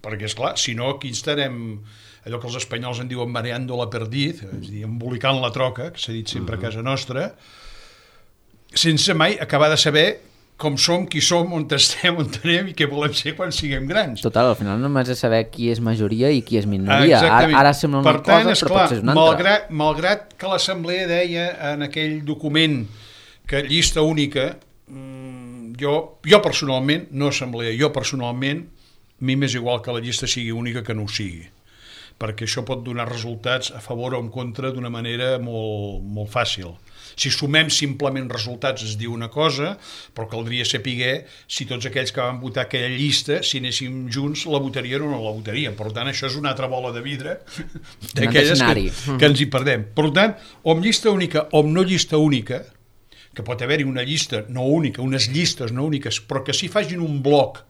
[SPEAKER 4] perquè esclar, si no aquí estarem allò que els espanyols en diuen mareando la perdiz, és a dir, embolicant la troca, que s'ha dit sempre a casa nostra, sense mai acabar de saber com som, qui som, on estem, on anem i què volem ser quan siguem grans.
[SPEAKER 1] Total, al final només és saber qui és majoria i qui és minoria.
[SPEAKER 4] Exactament.
[SPEAKER 1] Ara, ara sembla una
[SPEAKER 4] per tant,
[SPEAKER 1] cosa,
[SPEAKER 4] esclar,
[SPEAKER 1] però potser és una altra.
[SPEAKER 4] Malgrat, malgrat que l'Assemblea deia en aquell document que llista única, jo, jo personalment, no assemblea, jo personalment, a mi m'és igual que la llista sigui única que no ho sigui, perquè això pot donar resultats a favor o en contra d'una manera molt, molt fàcil. Si sumem simplement resultats es diu una cosa, però caldria saber si tots aquells que van votar aquella llista, si anéssim junts, la votarien o no la votarien. Per tant, això és una altra bola de vidre d'aquelles que, que ens hi perdem. Per tant, o amb llista única o amb no llista única, que pot haver-hi una llista no única, unes llistes no úniques, però que sí facin un bloc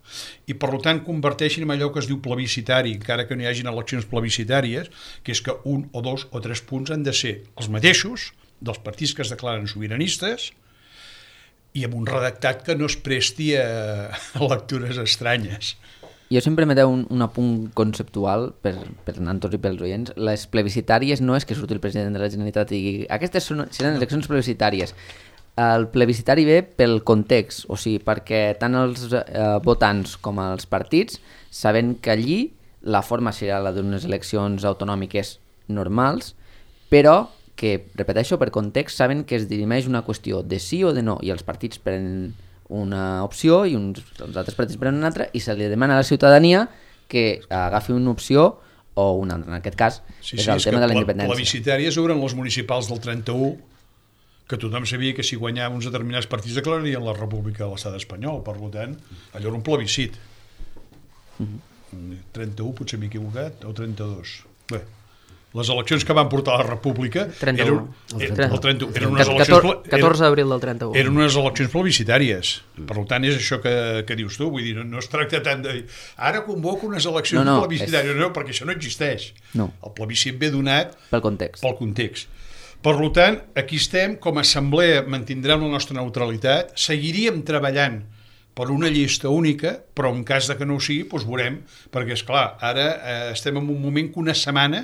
[SPEAKER 4] i per tant converteixin en allò que es diu plebiscitari, encara que no hi hagin eleccions plebiscitàries, que és que un o dos o tres punts han de ser els mateixos dels partits que es declaren sobiranistes i amb un redactat que no es presti a, a lectures estranyes.
[SPEAKER 1] Jo sempre me deu un, un apunt conceptual per, per Nantos i pels oients. Les plebiscitàries no és que surti el president de la Generalitat i digui aquestes són, seran eleccions plebiscitàries. El plebiscitari ve pel context, o sigui, perquè tant els eh, votants com els partits saben que allí la forma serà la d'unes eleccions autonòmiques normals, però que, repeteixo, per context saben que es dirimeix una qüestió de sí o de no, i els partits prenen una opció i uns, els altres partits prenen una altra i se li demana a la ciutadania que agafi una opció o una altra. En aquest cas
[SPEAKER 4] sí,
[SPEAKER 1] és
[SPEAKER 4] sí,
[SPEAKER 1] el
[SPEAKER 4] és
[SPEAKER 1] tema de la
[SPEAKER 4] pla,
[SPEAKER 1] independència.
[SPEAKER 4] Plebiscitàries eren les municipals del trenta-u, que tothom sabia que si guanyaven uns determinats partits declararien la República de l'Estat espanyol, per tant, allò era un plebiscit. Mm-hmm. trenta-u, potser m'he equivocat, o trenta-dos. Bé, les eleccions que van portar a la República
[SPEAKER 3] trenta-u.
[SPEAKER 4] Eren, el trenta-u, eren unes eleccions...
[SPEAKER 3] catorze d'abril del trenta-u.
[SPEAKER 4] Eren unes eleccions plebiscitàries. Per tant, és això que, que dius tu. Vull dir, no, no es tracta tant de dir ara convoco unes eleccions no, no, plebiscitàries. És... No, perquè això no existeix.
[SPEAKER 1] No.
[SPEAKER 4] El plebiscit ve donat
[SPEAKER 1] pel context.
[SPEAKER 4] Pel context. Per tant, aquí estem, com a assemblea mantindrem la nostra neutralitat, seguiríem treballant per una llista única, però en cas de que no ho sigui, doncs veurem, perquè, esclar, ara eh, estem en un moment que una setmana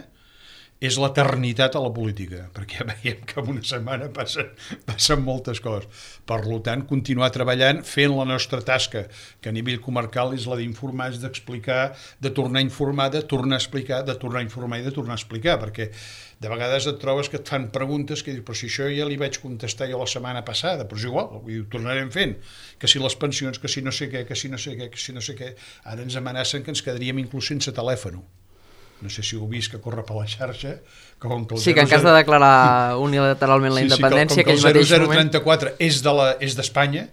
[SPEAKER 4] és l'eternitat a la política, perquè ja veiem que en una setmana passen, passen moltes coses. Per tant, continuar treballant, fent la nostra tasca, que a nivell comarcal és la d'informar, és d'explicar, de tornar a informar, de tornar a explicar, de tornar a informar i de tornar a explicar, perquè de vegades et trobes que et fan preguntes que dius, però si això ja li vaig contestar jo la setmana passada, però és igual, ho tornarem fent, que si les pensions, que si no sé què, que si no sé què, que si no sé què, ara ens amenacen que ens quedaríem inclús sense telèfon. No sé si ho heu vist que corre per la xarxa. Com que
[SPEAKER 3] sí, que en cas de declarar unilateralment la independència,
[SPEAKER 4] sí, sí, com, com
[SPEAKER 3] que el
[SPEAKER 4] zero zero trenta-quatre és de la, és d'Espanya,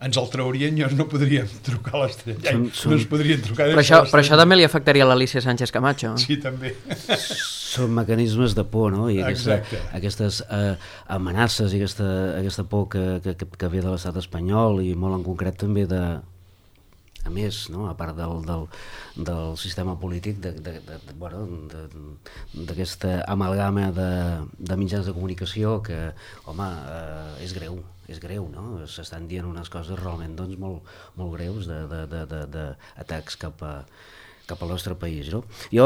[SPEAKER 4] ens el traurien i no podríem trucar a l'estrella. No ens podrien trucar
[SPEAKER 3] però això, però això també li afectaria a l'Alícia Sánchez Camacho.
[SPEAKER 4] Sí, també.
[SPEAKER 2] Són mecanismes de por, no? I aquesta, aquestes eh, amenaces i aquesta, aquesta por que, que, que ve de l'estat espanyol i molt en concret també de... a més, no? A part del, del, del sistema polític de, de, de, de, bueno, d'aquesta amalgama de, de mitjans de comunicació que, home, eh, és greu, és greu, no? S'estan dient unes coses realment doncs, molt, molt greus d'atacs cap a cap al nostre país, no? Jo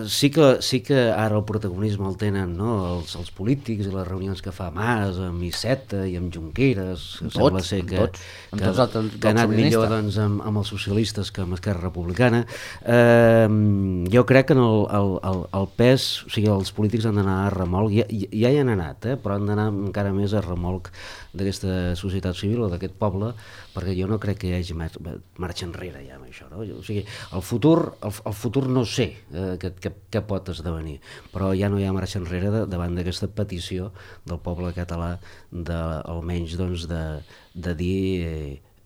[SPEAKER 2] sí que, sí que ara el protagonisme el tenen, no? els, els polítics i les reunions que fa Mas amb Iceta i amb Junqueras, que tots, sembla ser que, tots, que, tots el, que ha anat millor doncs, amb, amb els socialistes que amb Esquerra Republicana. Eh, jo crec que en el, el, el, el pes, o sigui, els polítics han d'anar a remolc, ja, ja hi han anat, eh? Però han d'anar encara més a remolc d'aquesta societat civil o d'aquest poble, perquè jo no crec que hi hagi marxa enrere ja amb això, no? O sigui, el futur, el, el futur no sé eh, què, què, què pot esdevenir, però ja no hi ha marxa enrere de, davant d'aquesta petició del poble català de, almenys doncs, de, de dir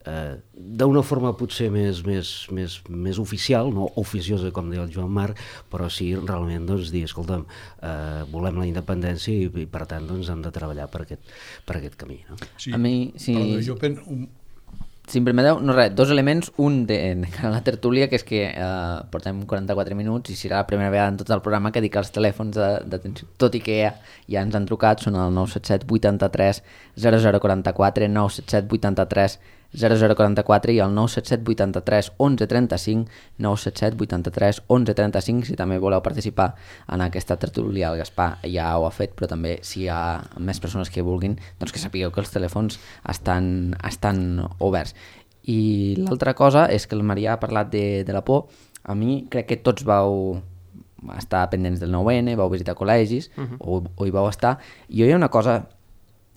[SPEAKER 2] eh, d'una forma potser més, més, més, més oficial, no oficiosa com deia el Joan Marc, però sí realment doncs, dir, escolta'm, eh, volem la independència i, i per tant doncs, hem de treballar per aquest, per aquest camí. No?
[SPEAKER 4] Sí,
[SPEAKER 1] a mi, sí.
[SPEAKER 4] Perdó, jo penso... Un...
[SPEAKER 1] Si em permeteu, no res, dos elements, un de, de la tertúlia, que és que eh, portem quaranta-quatre minuts i serà la primera vegada en tot el programa que dic els telèfons d'atenció, tot i que ja, ja ens han trucat, són el nou set set vuitanta-tres zero zero quaranta-quatre, nou set set vuitanta-tres zero zero quaranta-quatre i el nou set set vuitanta-tres onze trenta-cinc, nou set set vuitanta-tres onze trenta-cinc, si també voleu participar en aquesta tertúlia. El Gaspar ja ho ha fet, però també si hi ha més persones que vulguin, doncs que sapigueu que els telèfons estan, estan oberts. I l'altra cosa és que el Marià ha parlat de, de la por. A mi crec que tots vau estar pendents del nou ene, vau visitar col·legis, uh-huh. o, o hi vau estar. I jo hi ha una cosa,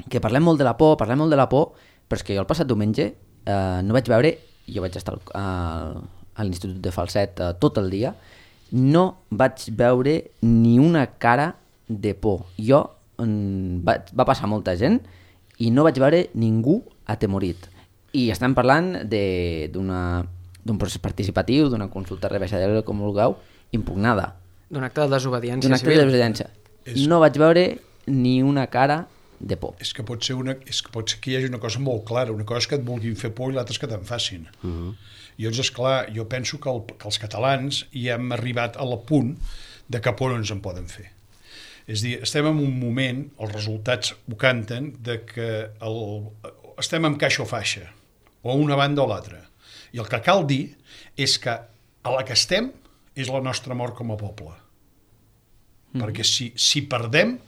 [SPEAKER 1] que parlem molt de la por, parlem molt de la por, però és que jo el passat diumenge eh, no vaig veure, jo vaig estar al, a l'Institut de Falset eh, tot el dia, no vaig veure ni una cara de por. Jo, mm, va, va passar molta gent i no vaig veure ningú atemorit. I estem parlant d'un procés participatiu, d'una consulta rebaixadora, com vulgueu, impugnada.
[SPEAKER 3] D'un acte de desobediència
[SPEAKER 1] D'un acte
[SPEAKER 3] civil.
[SPEAKER 1] de desobediència. És... No vaig veure ni una cara de por.
[SPEAKER 4] És que pot ser, una, és que pot ser que hi hagi una cosa molt clara, una cosa és que et vulguin fer por i l'altra és que te'n facin. Uh -huh. I llavors, esclar, jo penso que, el, que els catalans ja hem arribat a la punt de que por no ens en poden fer. És a dir, estem en un moment, els resultats ho canten, de que el, estem en caixa o faixa, o una banda o l'altra. I el que cal dir és que a la que estem és la nostra mort com a poble. Mm. Perquè si, si perdem,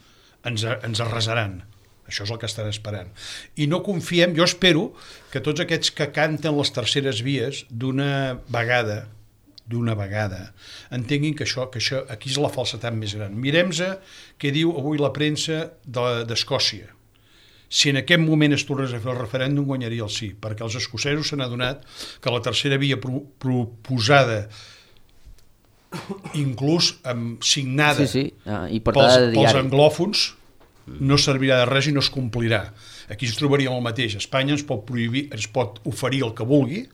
[SPEAKER 4] ens, ens arrasaran. Això és el que estan esperant. I no confiem, jo espero que tots aquests que canten les terceres vies d'una vegada, d'una vegada, entenguin que això, que això aquí és la falsetat més gran. Mirem-se què diu avui la premsa d'Escòcia. Si en aquest moment es tornés a fer el referèndum, guanyaria el sí, perquè els escocesos s'han adonat que la tercera via pro proposada, inclús amb signada
[SPEAKER 1] sí, sí. Ah, i
[SPEAKER 4] pels, pels anglòfons, no servirà de res i no es complirà. Aquí ens trobaríem el mateix. Espanya ens pot prohibir, ens pot oferir el que vulgui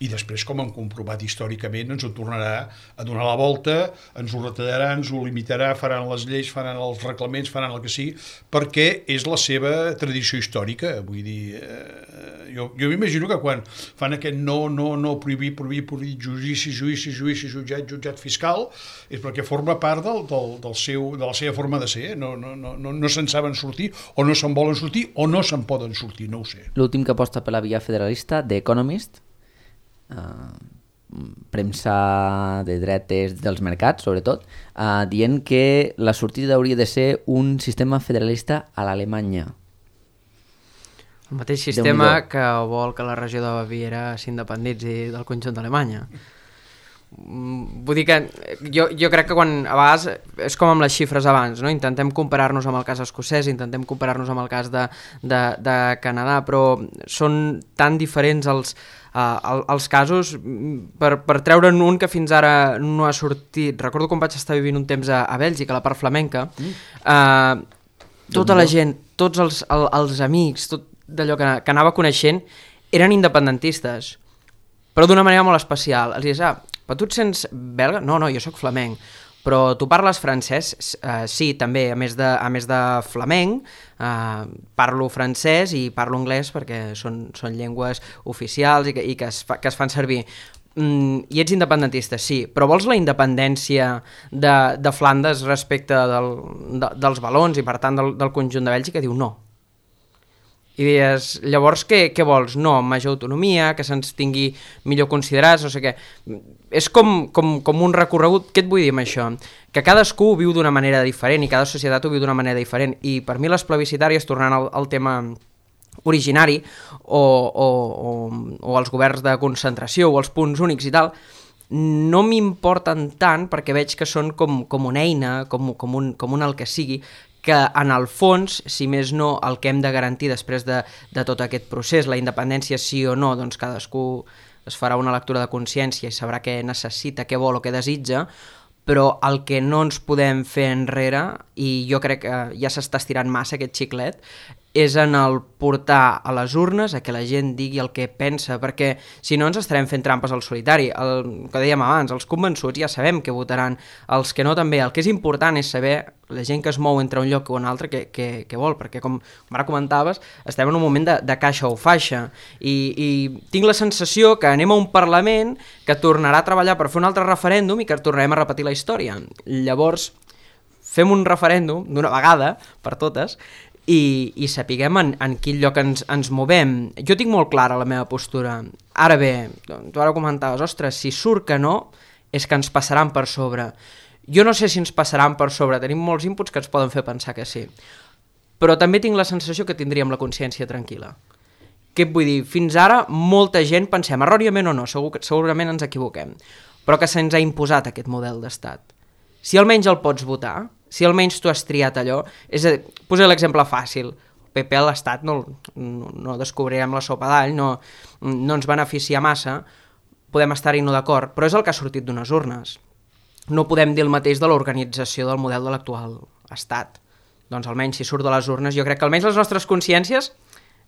[SPEAKER 4] i després, com hem comprovat històricament, ens ho tornarà a donar la volta, ens ho retallarà, ens ho limitarà, faran les lleis, faran els reglaments, faran el que sigui, perquè és la seva tradició històrica. Vull dir, eh, jo, jo m'imagino que quan fan aquest no, no, no, prohibir, prohibir, prohibir, judici, judici, judici, jutjat, jutjat fiscal, és perquè forma part del, del, del seu, de la seva forma de ser. No, no, no, no, no se'n saben sortir, o no se'n volen sortir, o no se'n poden sortir, no ho sé.
[SPEAKER 1] L'últim que aposta per la via federalista, The Economist, Uh, premsa de dretes dels mercats, sobretot, uh, dient que la sortida hauria de ser un sistema federalista a l'Alemanya.
[SPEAKER 3] El mateix sistema que vol que la regió de Baviera s'independitzi del conjunt d'Alemanya. Vull dir que jo, jo crec que quan a vegades és com amb les xifres abans, no? Intentem comparar-nos amb el cas escocès, intentem comparar-nos amb el cas de, de, de Canadà, però són tan diferents els, uh, els casos per, per treure'n un que fins ara no ha sortit. Recordo quan vaig estar vivint un temps a, a Bèlgica, a la part flamenca, uh, tota la gent, tots els, el, els amics, tot d'allò que, que anava coneixent, eren independentistes, però d'una manera molt especial. Els dius, ah, però tu et sents belga? No, no, jo sóc flamenc. Però tu parles francès? Uh, sí, també, a més de, a més de flamenc, uh, parlo francès i parlo anglès perquè són, són llengües oficials i que, i que, es, fa, que es fan servir. Mm, I ets independentista, sí, però vols la independència de, de Flandes respecte del, de, dels valons i per tant del, del conjunt de Bèlgica? Diu no. I dius, llavors què, què vols? No, major autonomia, que se'ns tingui millor considerats, no sé què. És com, com, com un recorregut. Què et vull dir amb això? Que cadascú ho viu d'una manera diferent i cada societat ho viu d'una manera diferent. I per mi les plebiscitàries, tornant al, al tema originari, o, o, o, o els governs de concentració o els punts únics i tal, no m'importen tant perquè veig que són com, com una eina, com, com, un, com un el que sigui, que en el fons, si més no, el que hem de garantir després de, de tot aquest procés, la independència sí o no, doncs cadascú es farà una lectura de consciència i sabrà què necessita, què vol o què desitja, però el que no ens podem fer enrere, i jo crec que ja s'està estirant massa aquest xiclet, és en el portar a les urnes a que la gent digui el que pensa, perquè si no ens estarem fent trampes al solitari. El que dèiem abans, els convençuts ja sabem què votaran, els que no també. El que és important és saber la gent que es mou entre un lloc o un altre què, què, què vol, perquè com, com ara comentaves, estem en un moment de, de caixa o faixa, i, i tinc la sensació que anem a un Parlament que tornarà a treballar per fer un altre referèndum i que tornarem a repetir la història. Llavors, fem un referèndum d'una vegada per totes, i, i sapiguem en, en quin lloc ens, ens movem. Jo tinc molt clara la meva postura. Ara bé, tu ara comentaves, ostres, si surt que no, és que ens passaran per sobre. Jo no sé si ens passaran per sobre, tenim molts inputs que ens poden fer pensar que sí. Però també tinc la sensació que tindríem la consciència tranquil·la. Què et vull dir? Fins ara molta gent pensem, erròniament o no, segur, segurament ens equivoquem, però que se'ns ha imposat aquest model d'estat. Si almenys el pots votar, si almenys tu has triat allò, és a dir, posaré l'exemple fàcil, el P P a l'Estat no, no, no descobrirem la sopa d'all, no, no ens beneficia massa, podem estar-hi no d'acord, però és el que ha sortit d'unes urnes. No podem dir el mateix de l'organització del model de l'actual Estat. Doncs almenys si surt de les urnes, jo crec que almenys les nostres consciències,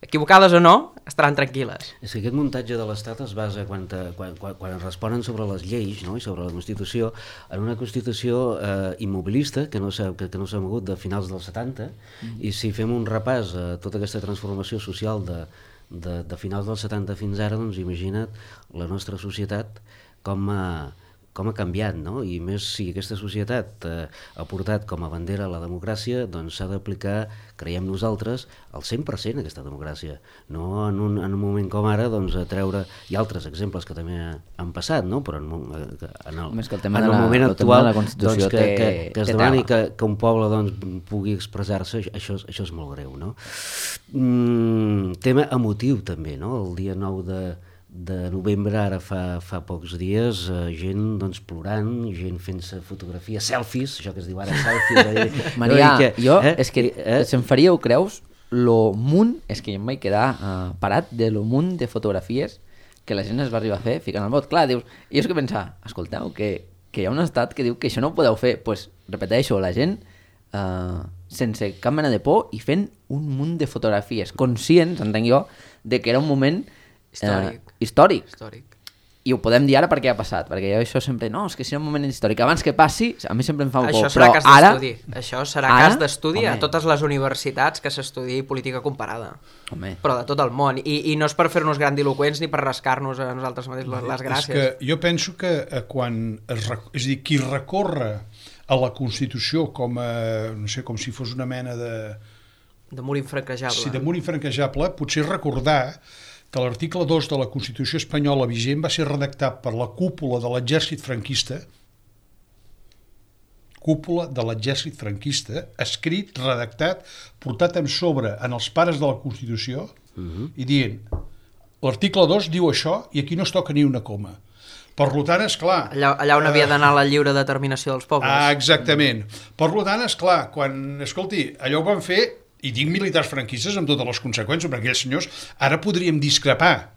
[SPEAKER 3] equivocades o no, estaran tranquil·les.
[SPEAKER 2] És que aquest muntatge de l'Estat es basa, quan, te, quan, quan, quan es responen sobre les lleis, no?, i sobre la Constitució, en una Constitució eh, immobilista, que no s'ha que, que no s'ha mogut de finals dels setanta, mm. i si fem un repàs a tota aquesta transformació social de, de, de finals dels setanta fins ara, doncs imagina't la nostra societat com a com ha canviat, no? I més si aquesta societat eh, ha portat com a bandera la democràcia, doncs s'ha d'aplicar, creiem nosaltres, al cent per cent aquesta democràcia. No en un, en un moment com ara, doncs, a treure... Hi ha altres exemples que també han passat, no? Però en, en el,
[SPEAKER 1] que el tema
[SPEAKER 2] en el
[SPEAKER 1] de la,
[SPEAKER 2] moment
[SPEAKER 1] el
[SPEAKER 2] actual,
[SPEAKER 1] de la Constitució
[SPEAKER 2] doncs, que,
[SPEAKER 1] té,
[SPEAKER 2] que, que es
[SPEAKER 1] té
[SPEAKER 2] demani
[SPEAKER 1] tema.
[SPEAKER 2] que, que un poble doncs, pugui expressar-se, això, això és molt greu, no? Mm, tema emotiu també, no? El dia nou de... de novembre, ara fa, fa pocs dies, eh, gent doncs, plorant, gent fent-se fotografies, selfies, això que es diu ara selfies. Eh?
[SPEAKER 1] Maria,
[SPEAKER 2] no, que,
[SPEAKER 1] jo,
[SPEAKER 2] eh?
[SPEAKER 1] és que
[SPEAKER 2] eh?
[SPEAKER 1] se'm faria, ho creus, lo munt, és que jo em vaig quedar uh, parat de lo munt de fotografies que la gent es va arribar a fer ficant el vot. Clar, dius, i és que pensar, escolteu, que, que hi ha un estat que diu que això no ho podeu fer, doncs pues, repeteixo, la gent uh, sense cap mena de por i fent un munt de fotografies, conscients, entenc jo, de que era un moment
[SPEAKER 3] Històric.
[SPEAKER 1] Eh, històric.
[SPEAKER 3] Històric.
[SPEAKER 1] I ho podem dir ara perquè ha passat, perquè jo això sempre, no, és que si era un moment històric, abans que passi, a mi sempre em fa un
[SPEAKER 3] Això
[SPEAKER 1] por,
[SPEAKER 3] serà
[SPEAKER 1] però
[SPEAKER 3] cas
[SPEAKER 1] ara...
[SPEAKER 3] d'estudi. Això serà
[SPEAKER 1] ara,
[SPEAKER 3] cas d'estudi a
[SPEAKER 1] home.
[SPEAKER 3] totes les universitats que s'estudi política comparada.
[SPEAKER 1] Home.
[SPEAKER 3] Però de tot el món. I, i no és per fer-nos grandiloquents ni per rascar-nos a nosaltres mateixos les, les gràcies.
[SPEAKER 4] És que jo penso que eh, quan es, rec- és a dir, qui recorre a la Constitució com a, no sé, com si fos una mena de...
[SPEAKER 3] De mur infranquejable.
[SPEAKER 4] Sí, de mur infranquejable, potser recordar que l'article dos de la Constitució espanyola vigent va ser redactat per la cúpula de l'exèrcit franquista, cúpula de l'exèrcit franquista, escrit, redactat, portat en sobre en els pares de la Constitució, uh-huh. i dient, l'article dos diu això i aquí no es toca ni una coma. Per tant, esclar...
[SPEAKER 3] Allà, allà on
[SPEAKER 4] eh,
[SPEAKER 3] havia d'anar la lliure determinació dels pobles.
[SPEAKER 4] Ah, exactament. Per tant, esclar, quan, escolti, allò ho van fer, i dic militars franquistes amb totes les conseqüències, perquè aquells senyors ara podríem discrepar,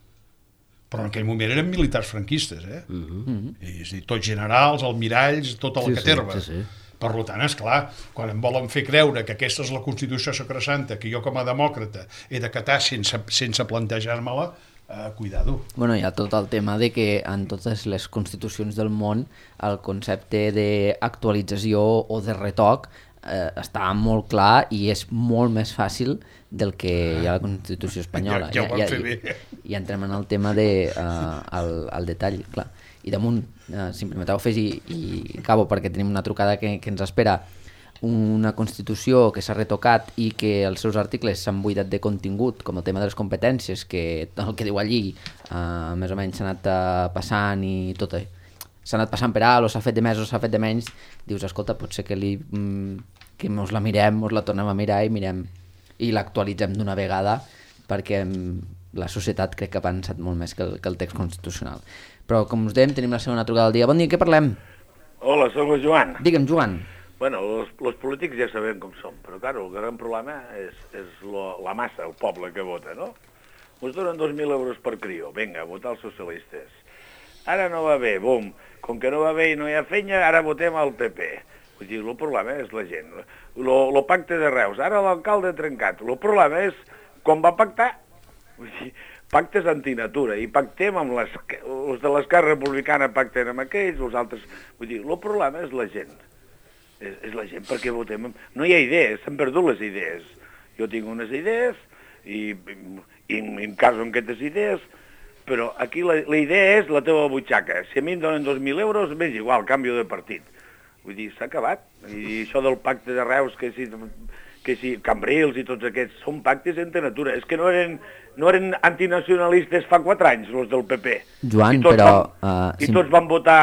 [SPEAKER 4] però en aquell moment eren militars franquistes, eh? Uh-huh. I, és a dir, tots generals, almiralls, tota la
[SPEAKER 2] Sí,
[SPEAKER 4] caterva.
[SPEAKER 2] sí, sí, sí.
[SPEAKER 4] Per tant, esclar, quan em volen fer creure que aquesta és la Constitució sacrosanta, que jo com a demòcrata he d'acatar sense, sense plantejar-me-la, eh, cuidado.
[SPEAKER 1] Bueno, hi ha tot el tema de que en totes les constitucions del món el concepte d'actualització o de retoc eh, està molt clar i és molt més fàcil del que hi ha a la Constitució espanyola.
[SPEAKER 4] Ja, ja ho van
[SPEAKER 1] ja,
[SPEAKER 4] fer
[SPEAKER 1] ja,
[SPEAKER 4] bé.
[SPEAKER 1] I entrem en el tema de, uh, el, el detall, clar. I damunt, uh, si em permeteu afegir, i acabo perquè tenim una trucada que, que ens espera, una Constitució que s'ha retocat i que els seus articles s'han buidat de contingut, com el tema de les competències, que el que diu allí uh, més o menys s'ha anat uh, passant i tot això. S'ha anat passant per alt, o s'ha fet de més o s'ha fet de menys, dius, escolta, potser que, li, mm, que mos la mirem, mos la tornem a mirar i mirem i l'actualitzem d'una vegada, perquè mm, la societat crec que ha pensat molt més que el, que el text constitucional. Però, com us dèiem, tenim la segona trucada del dia. Bon dia, què parlem?
[SPEAKER 6] Hola, soc el Joan.
[SPEAKER 1] Digue'm, Joan.
[SPEAKER 6] Bueno, los, los polítics ja sabem com som, però claro, el gran problema és, és lo, la massa, el poble que vota, no? Us donen dos mil euros per crió, vinga, a votar els socialistes. Ara no va bé, bum, com que no va bé i no hi ha fenya, ara votem al P P. Vull dir, el problema és la gent. El pacte de Reus, ara l'alcalde trencat. El problema és, quan va pactar, vull dir, pactes antinatura, i pactem amb les, els de l'esquerra republicana pacten amb aquells, els altres... Vull dir, el problema és la gent. És, és la gent perquè votem... No hi ha idees, s'han perdut les idees. Jo tinc unes idees i, i em caso amb aquestes idees, però aquí la, la idea és la teva butxaca. Si a mi em donen dos mil euros, m'és igual, canvio de partit. Vull dir, s'ha acabat. I això del pacte de Reus, que si que si Cambrils i tots aquests, són pactes entre natura. És que no eren, no eren antinacionalistes fa quatre anys, els del P P.
[SPEAKER 1] Joan,
[SPEAKER 6] I tots
[SPEAKER 1] però...
[SPEAKER 6] Van,
[SPEAKER 1] Uh,
[SPEAKER 6] I
[SPEAKER 1] si...
[SPEAKER 6] tots van votar,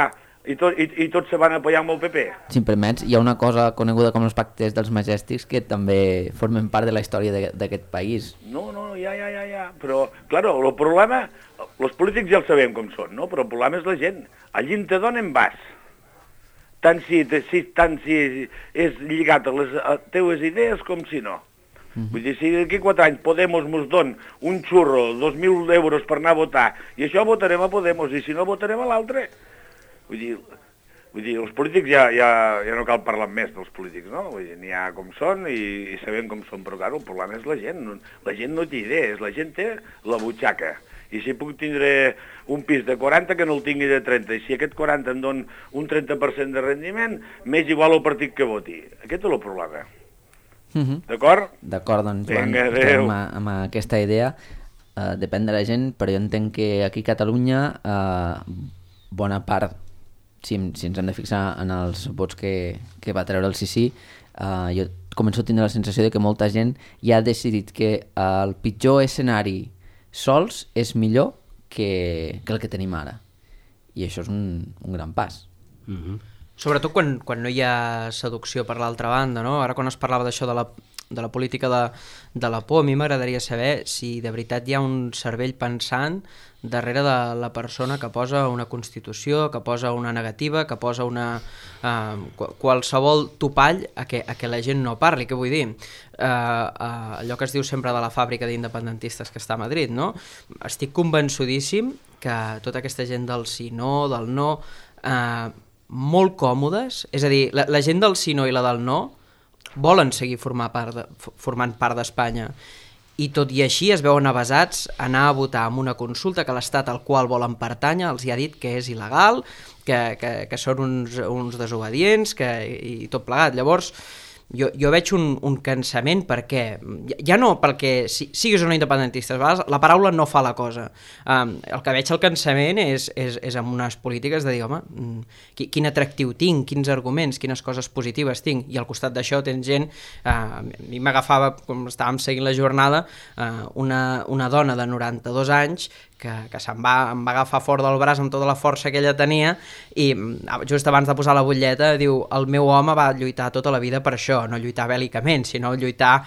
[SPEAKER 6] i, tot, i, i tots se van apoyar amb el P P.
[SPEAKER 1] Si em permets, hi ha una cosa coneguda com els pactes dels Majèstics que també formen part de la història d'aquest país.
[SPEAKER 6] No, no, ja, ja, ja, ja. Però, claro, el problema, els polítics ja el sabem com són, no? Però el problema és la gent. Allí te donen vas. Tant si, si, tant si és lligat a les a teues idees com si no. Mm-hmm. Vull dir, si d'aquí quatre anys Podemos mos don un xurro, dos mil euros per anar a votar, i això votarem a Podemos, i si no votarem a l'altre. Vull dir, vull dir, els polítics ja, ja, ja no cal parlar més dels polítics, no? Vull dir, n'hi ha com són i, i sabem com són, però clar, el problema és la gent. La gent no té idees, la gent té la butxaca. I si puc tindre un pis de quaranta que no el tingui de trenta, i si aquest quaranta em don un trenta per cent de rendiment, m'és igual el partit que voti. Aquest és el problema.
[SPEAKER 1] Mm-hmm.
[SPEAKER 6] D'acord?
[SPEAKER 1] D'acord, doncs Joan,
[SPEAKER 6] Vinga,
[SPEAKER 1] estem amb, amb aquesta idea. Uh, depèn de la gent, però jo entenc que aquí a Catalunya uh, bona part, si, si ens hem de fixar en els vots que, que va treure el sí sí, uh, jo començo a tindre la sensació de que molta gent ja ha decidit que uh, el pitjor escenari sols és millor que, que el que tenim ara. I això és un, un gran pas.
[SPEAKER 2] Mm-hmm.
[SPEAKER 3] Sobretot quan, quan no hi ha seducció per l'altra banda, no? Ara quan es parlava d'això de la, de la política de, de la por, a mi m'agradaria saber si de veritat hi ha un cervell pensant darrere de la persona que posa una constitució, que posa una negativa, que posa una uh, qualsevol topall a que, a que la gent no parli. Què vull dir? Uh, uh, allò que es diu sempre de la fàbrica d'independentistes que està a Madrid, no? Estic convençudíssim que tota aquesta gent del sí, no, del no, uh, molt còmodes, és a dir, la, la gent del sí, no i la del no volen seguir formar part de, formant part d'Espanya, i tot i així es veuen avasats a anar a votar en una consulta que l'Estat al qual volen pertànyer els hi ha dit que és il·legal, que, que, que són uns, uns desobedients, que, i tot plegat. Llavors, jo, jo veig un, un cansament perquè, ja no perquè si, siguis o no independentista, a vegades la paraula no fa la cosa. Um, el que veig el cansament és, és, és amb unes polítiques de dir, home, quin atractiu tinc, quins arguments, quines coses positives tinc, i al costat d'això tens gent, uh, a mi m'agafava, com estàvem seguint la jornada, uh, una, una dona de noranta-dos anys que, que se'm va, em va agafar fort del braç amb tota la força que ella tenia i just abans de posar la butlleta diu, el meu home va lluitar tota la vida per això, no lluitar bèl·licament, sinó lluitar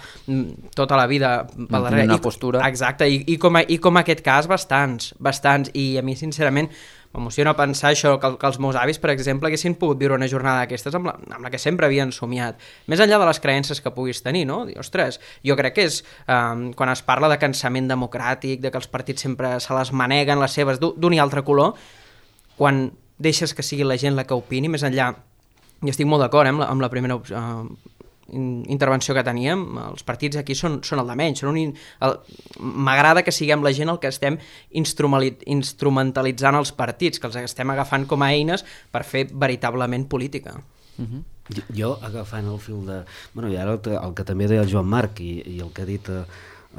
[SPEAKER 3] tota la vida pel darrere.
[SPEAKER 1] Una postura.
[SPEAKER 3] Exacte, i, i, com a, i com aquest cas bastants, bastants, i a mi sincerament m'emociona pensar això, que, que els meus avis, per exemple, haguessin pogut viure una jornada d'aquestes amb, la, amb la que sempre havien somiat, més enllà de les creences que puguis tenir, no? Dir, ostres, jo crec que és, um, quan es parla de cansament democràtic, de que els partits sempre se les maneguen, les seves, d'un i altre color, quan deixes que sigui la gent la que opini, més enllà, i estic molt d'acord eh, amb, la, amb la primera uh, intervenció que teníem, els partits aquí són, són el de menys, són un, m'agrada que siguem la gent el que estem instrumentalitzant els partits, que els estem agafant com a eines per fer veritablement política.
[SPEAKER 1] Uh-huh.
[SPEAKER 2] Jo, agafant el fil de... Bueno, i ara el, el que també deia el Joan Marc i, i el que ha dit eh,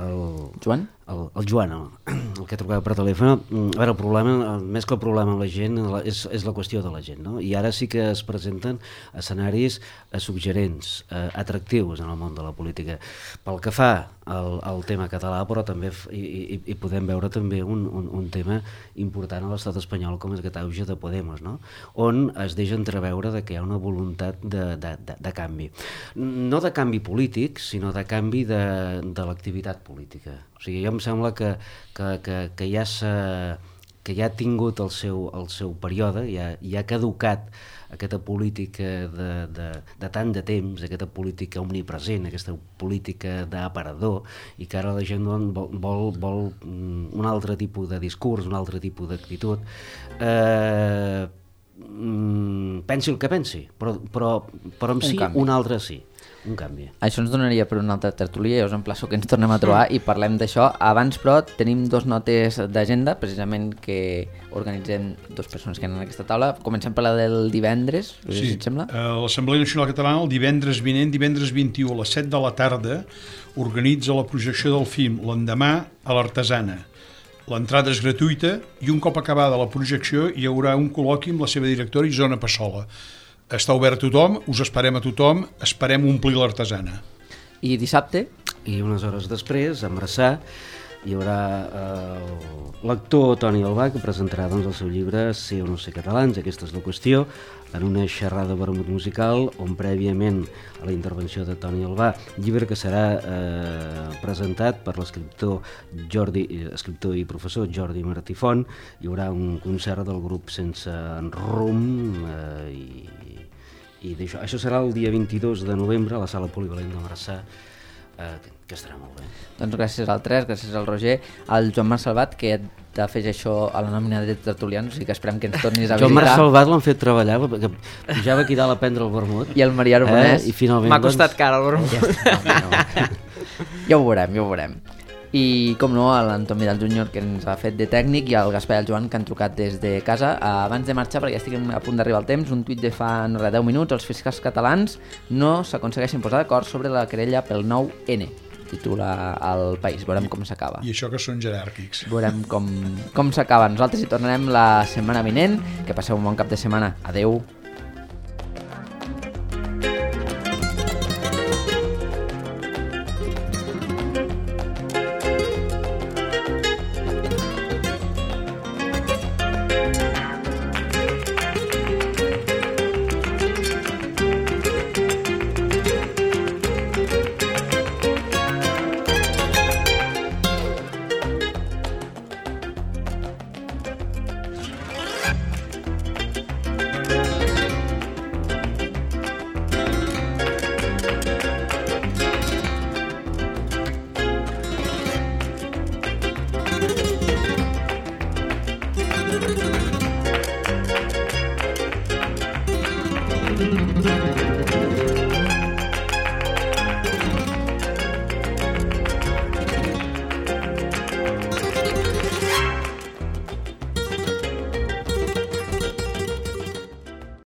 [SPEAKER 2] el...
[SPEAKER 1] Joan?
[SPEAKER 2] El, el Joan, el, el que trucava per telèfon, a veure, el problema, el, més que el problema amb la gent, la, és, és la qüestió de la gent, no? I ara sí que es presenten escenaris eh, suggerents, eh, atractius en el món de la política. Pel que fa al, al tema català, però també hi, hi, hi podem veure també un, un, un tema important a l'estat espanyol com és aquest auge de Podemos, no? On es deixa entreveure de que hi ha una voluntat de, de, de, de canvi. No de canvi polític, sinó de canvi de, de l'activitat política. O sigui, jo em sembla que, que, que, que, ja, que ja ha tingut el seu, el seu període, ja, ja ha caducat aquesta política de, de, de tant de temps, aquesta política omnipresent, aquesta política d'aparador, i que ara la gent vol, vol, vol un altre tipus de discurs, un altre tipus d'actitud. Eh, pensi el que pensi, però, però, però en si un altre sí. Un canvi.
[SPEAKER 1] Això ens donaria per una altra tertúlia, jo us emplaço que ens tornem a trobar i parlem d'això. Abans, però, tenim dos notes d'agenda, precisament que organitzem dues persones que han en aquesta taula. Comencem per la del divendres, sí. Si et sembla.
[SPEAKER 4] Uh, L'Assemblea Nacional Catalana el divendres vinent, divendres vint-i-u a les set de la tarda, organitza la projecció del film L'endemà a l'Artesana. L'entrada és gratuïta i un cop acabada la projecció hi haurà un col·loqui amb la seva directora Isona Passola. Està obert a tothom, us esperem a tothom, esperem omplir l'Artesana.
[SPEAKER 1] I dissabte?
[SPEAKER 2] I unes hores després, a Marçà, hi haurà eh, l'actor Toni Albà, que presentarà doncs, el seu llibre Ser o no ser catalans, aquesta és la qüestió, en una xerrada vermut musical on prèviament a la intervenció de Toni Albà, llibre que serà eh, presentat per l'escriptor Jordi, escriptor i professor Jordi Martí Font, hi haurà un concert del grup Sense Rum eh, i, i d'això. Això serà el dia vint-i-dos de novembre a la Sala Polivalent de Marçà, eh, que estarà molt bé.
[SPEAKER 1] Doncs gràcies al tres, gràcies al Roger, al Joan Marc Salvat, que t'afegeix això a la nòmina de tertulians, o sigui que esperem que ens tornis a visitar.
[SPEAKER 2] Joan Marc Salvat l'han fet treballar, perquè pujava aquí dalt a prendre el vermut.
[SPEAKER 1] I el Maria Arbonès.
[SPEAKER 2] Eh? I finalment,
[SPEAKER 3] m'ha costat
[SPEAKER 2] doncs...
[SPEAKER 3] cara el vermut.
[SPEAKER 1] Ja, no, no. Ja ho veurem, ja ho veurem. I, com no, a l'Anton Vidal júnior, que ens ha fet de tècnic, i al Gaspar i al Joan, que han trucat des de casa. Abans de marxar, perquè ja estic a punt d'arribar al temps, un tuit de fa no res, deu minuts, els fiscals catalans no s'aconsegueixen posar d'acord sobre la querella pel nou ene. Titula El País, veurem com s'acaba.
[SPEAKER 4] I això que són jeràrquics.
[SPEAKER 1] Veurem com, com s'acaba. Nosaltres hi tornarem la setmana vinent. Que passeu un bon cap de setmana. Adeu. Thank you.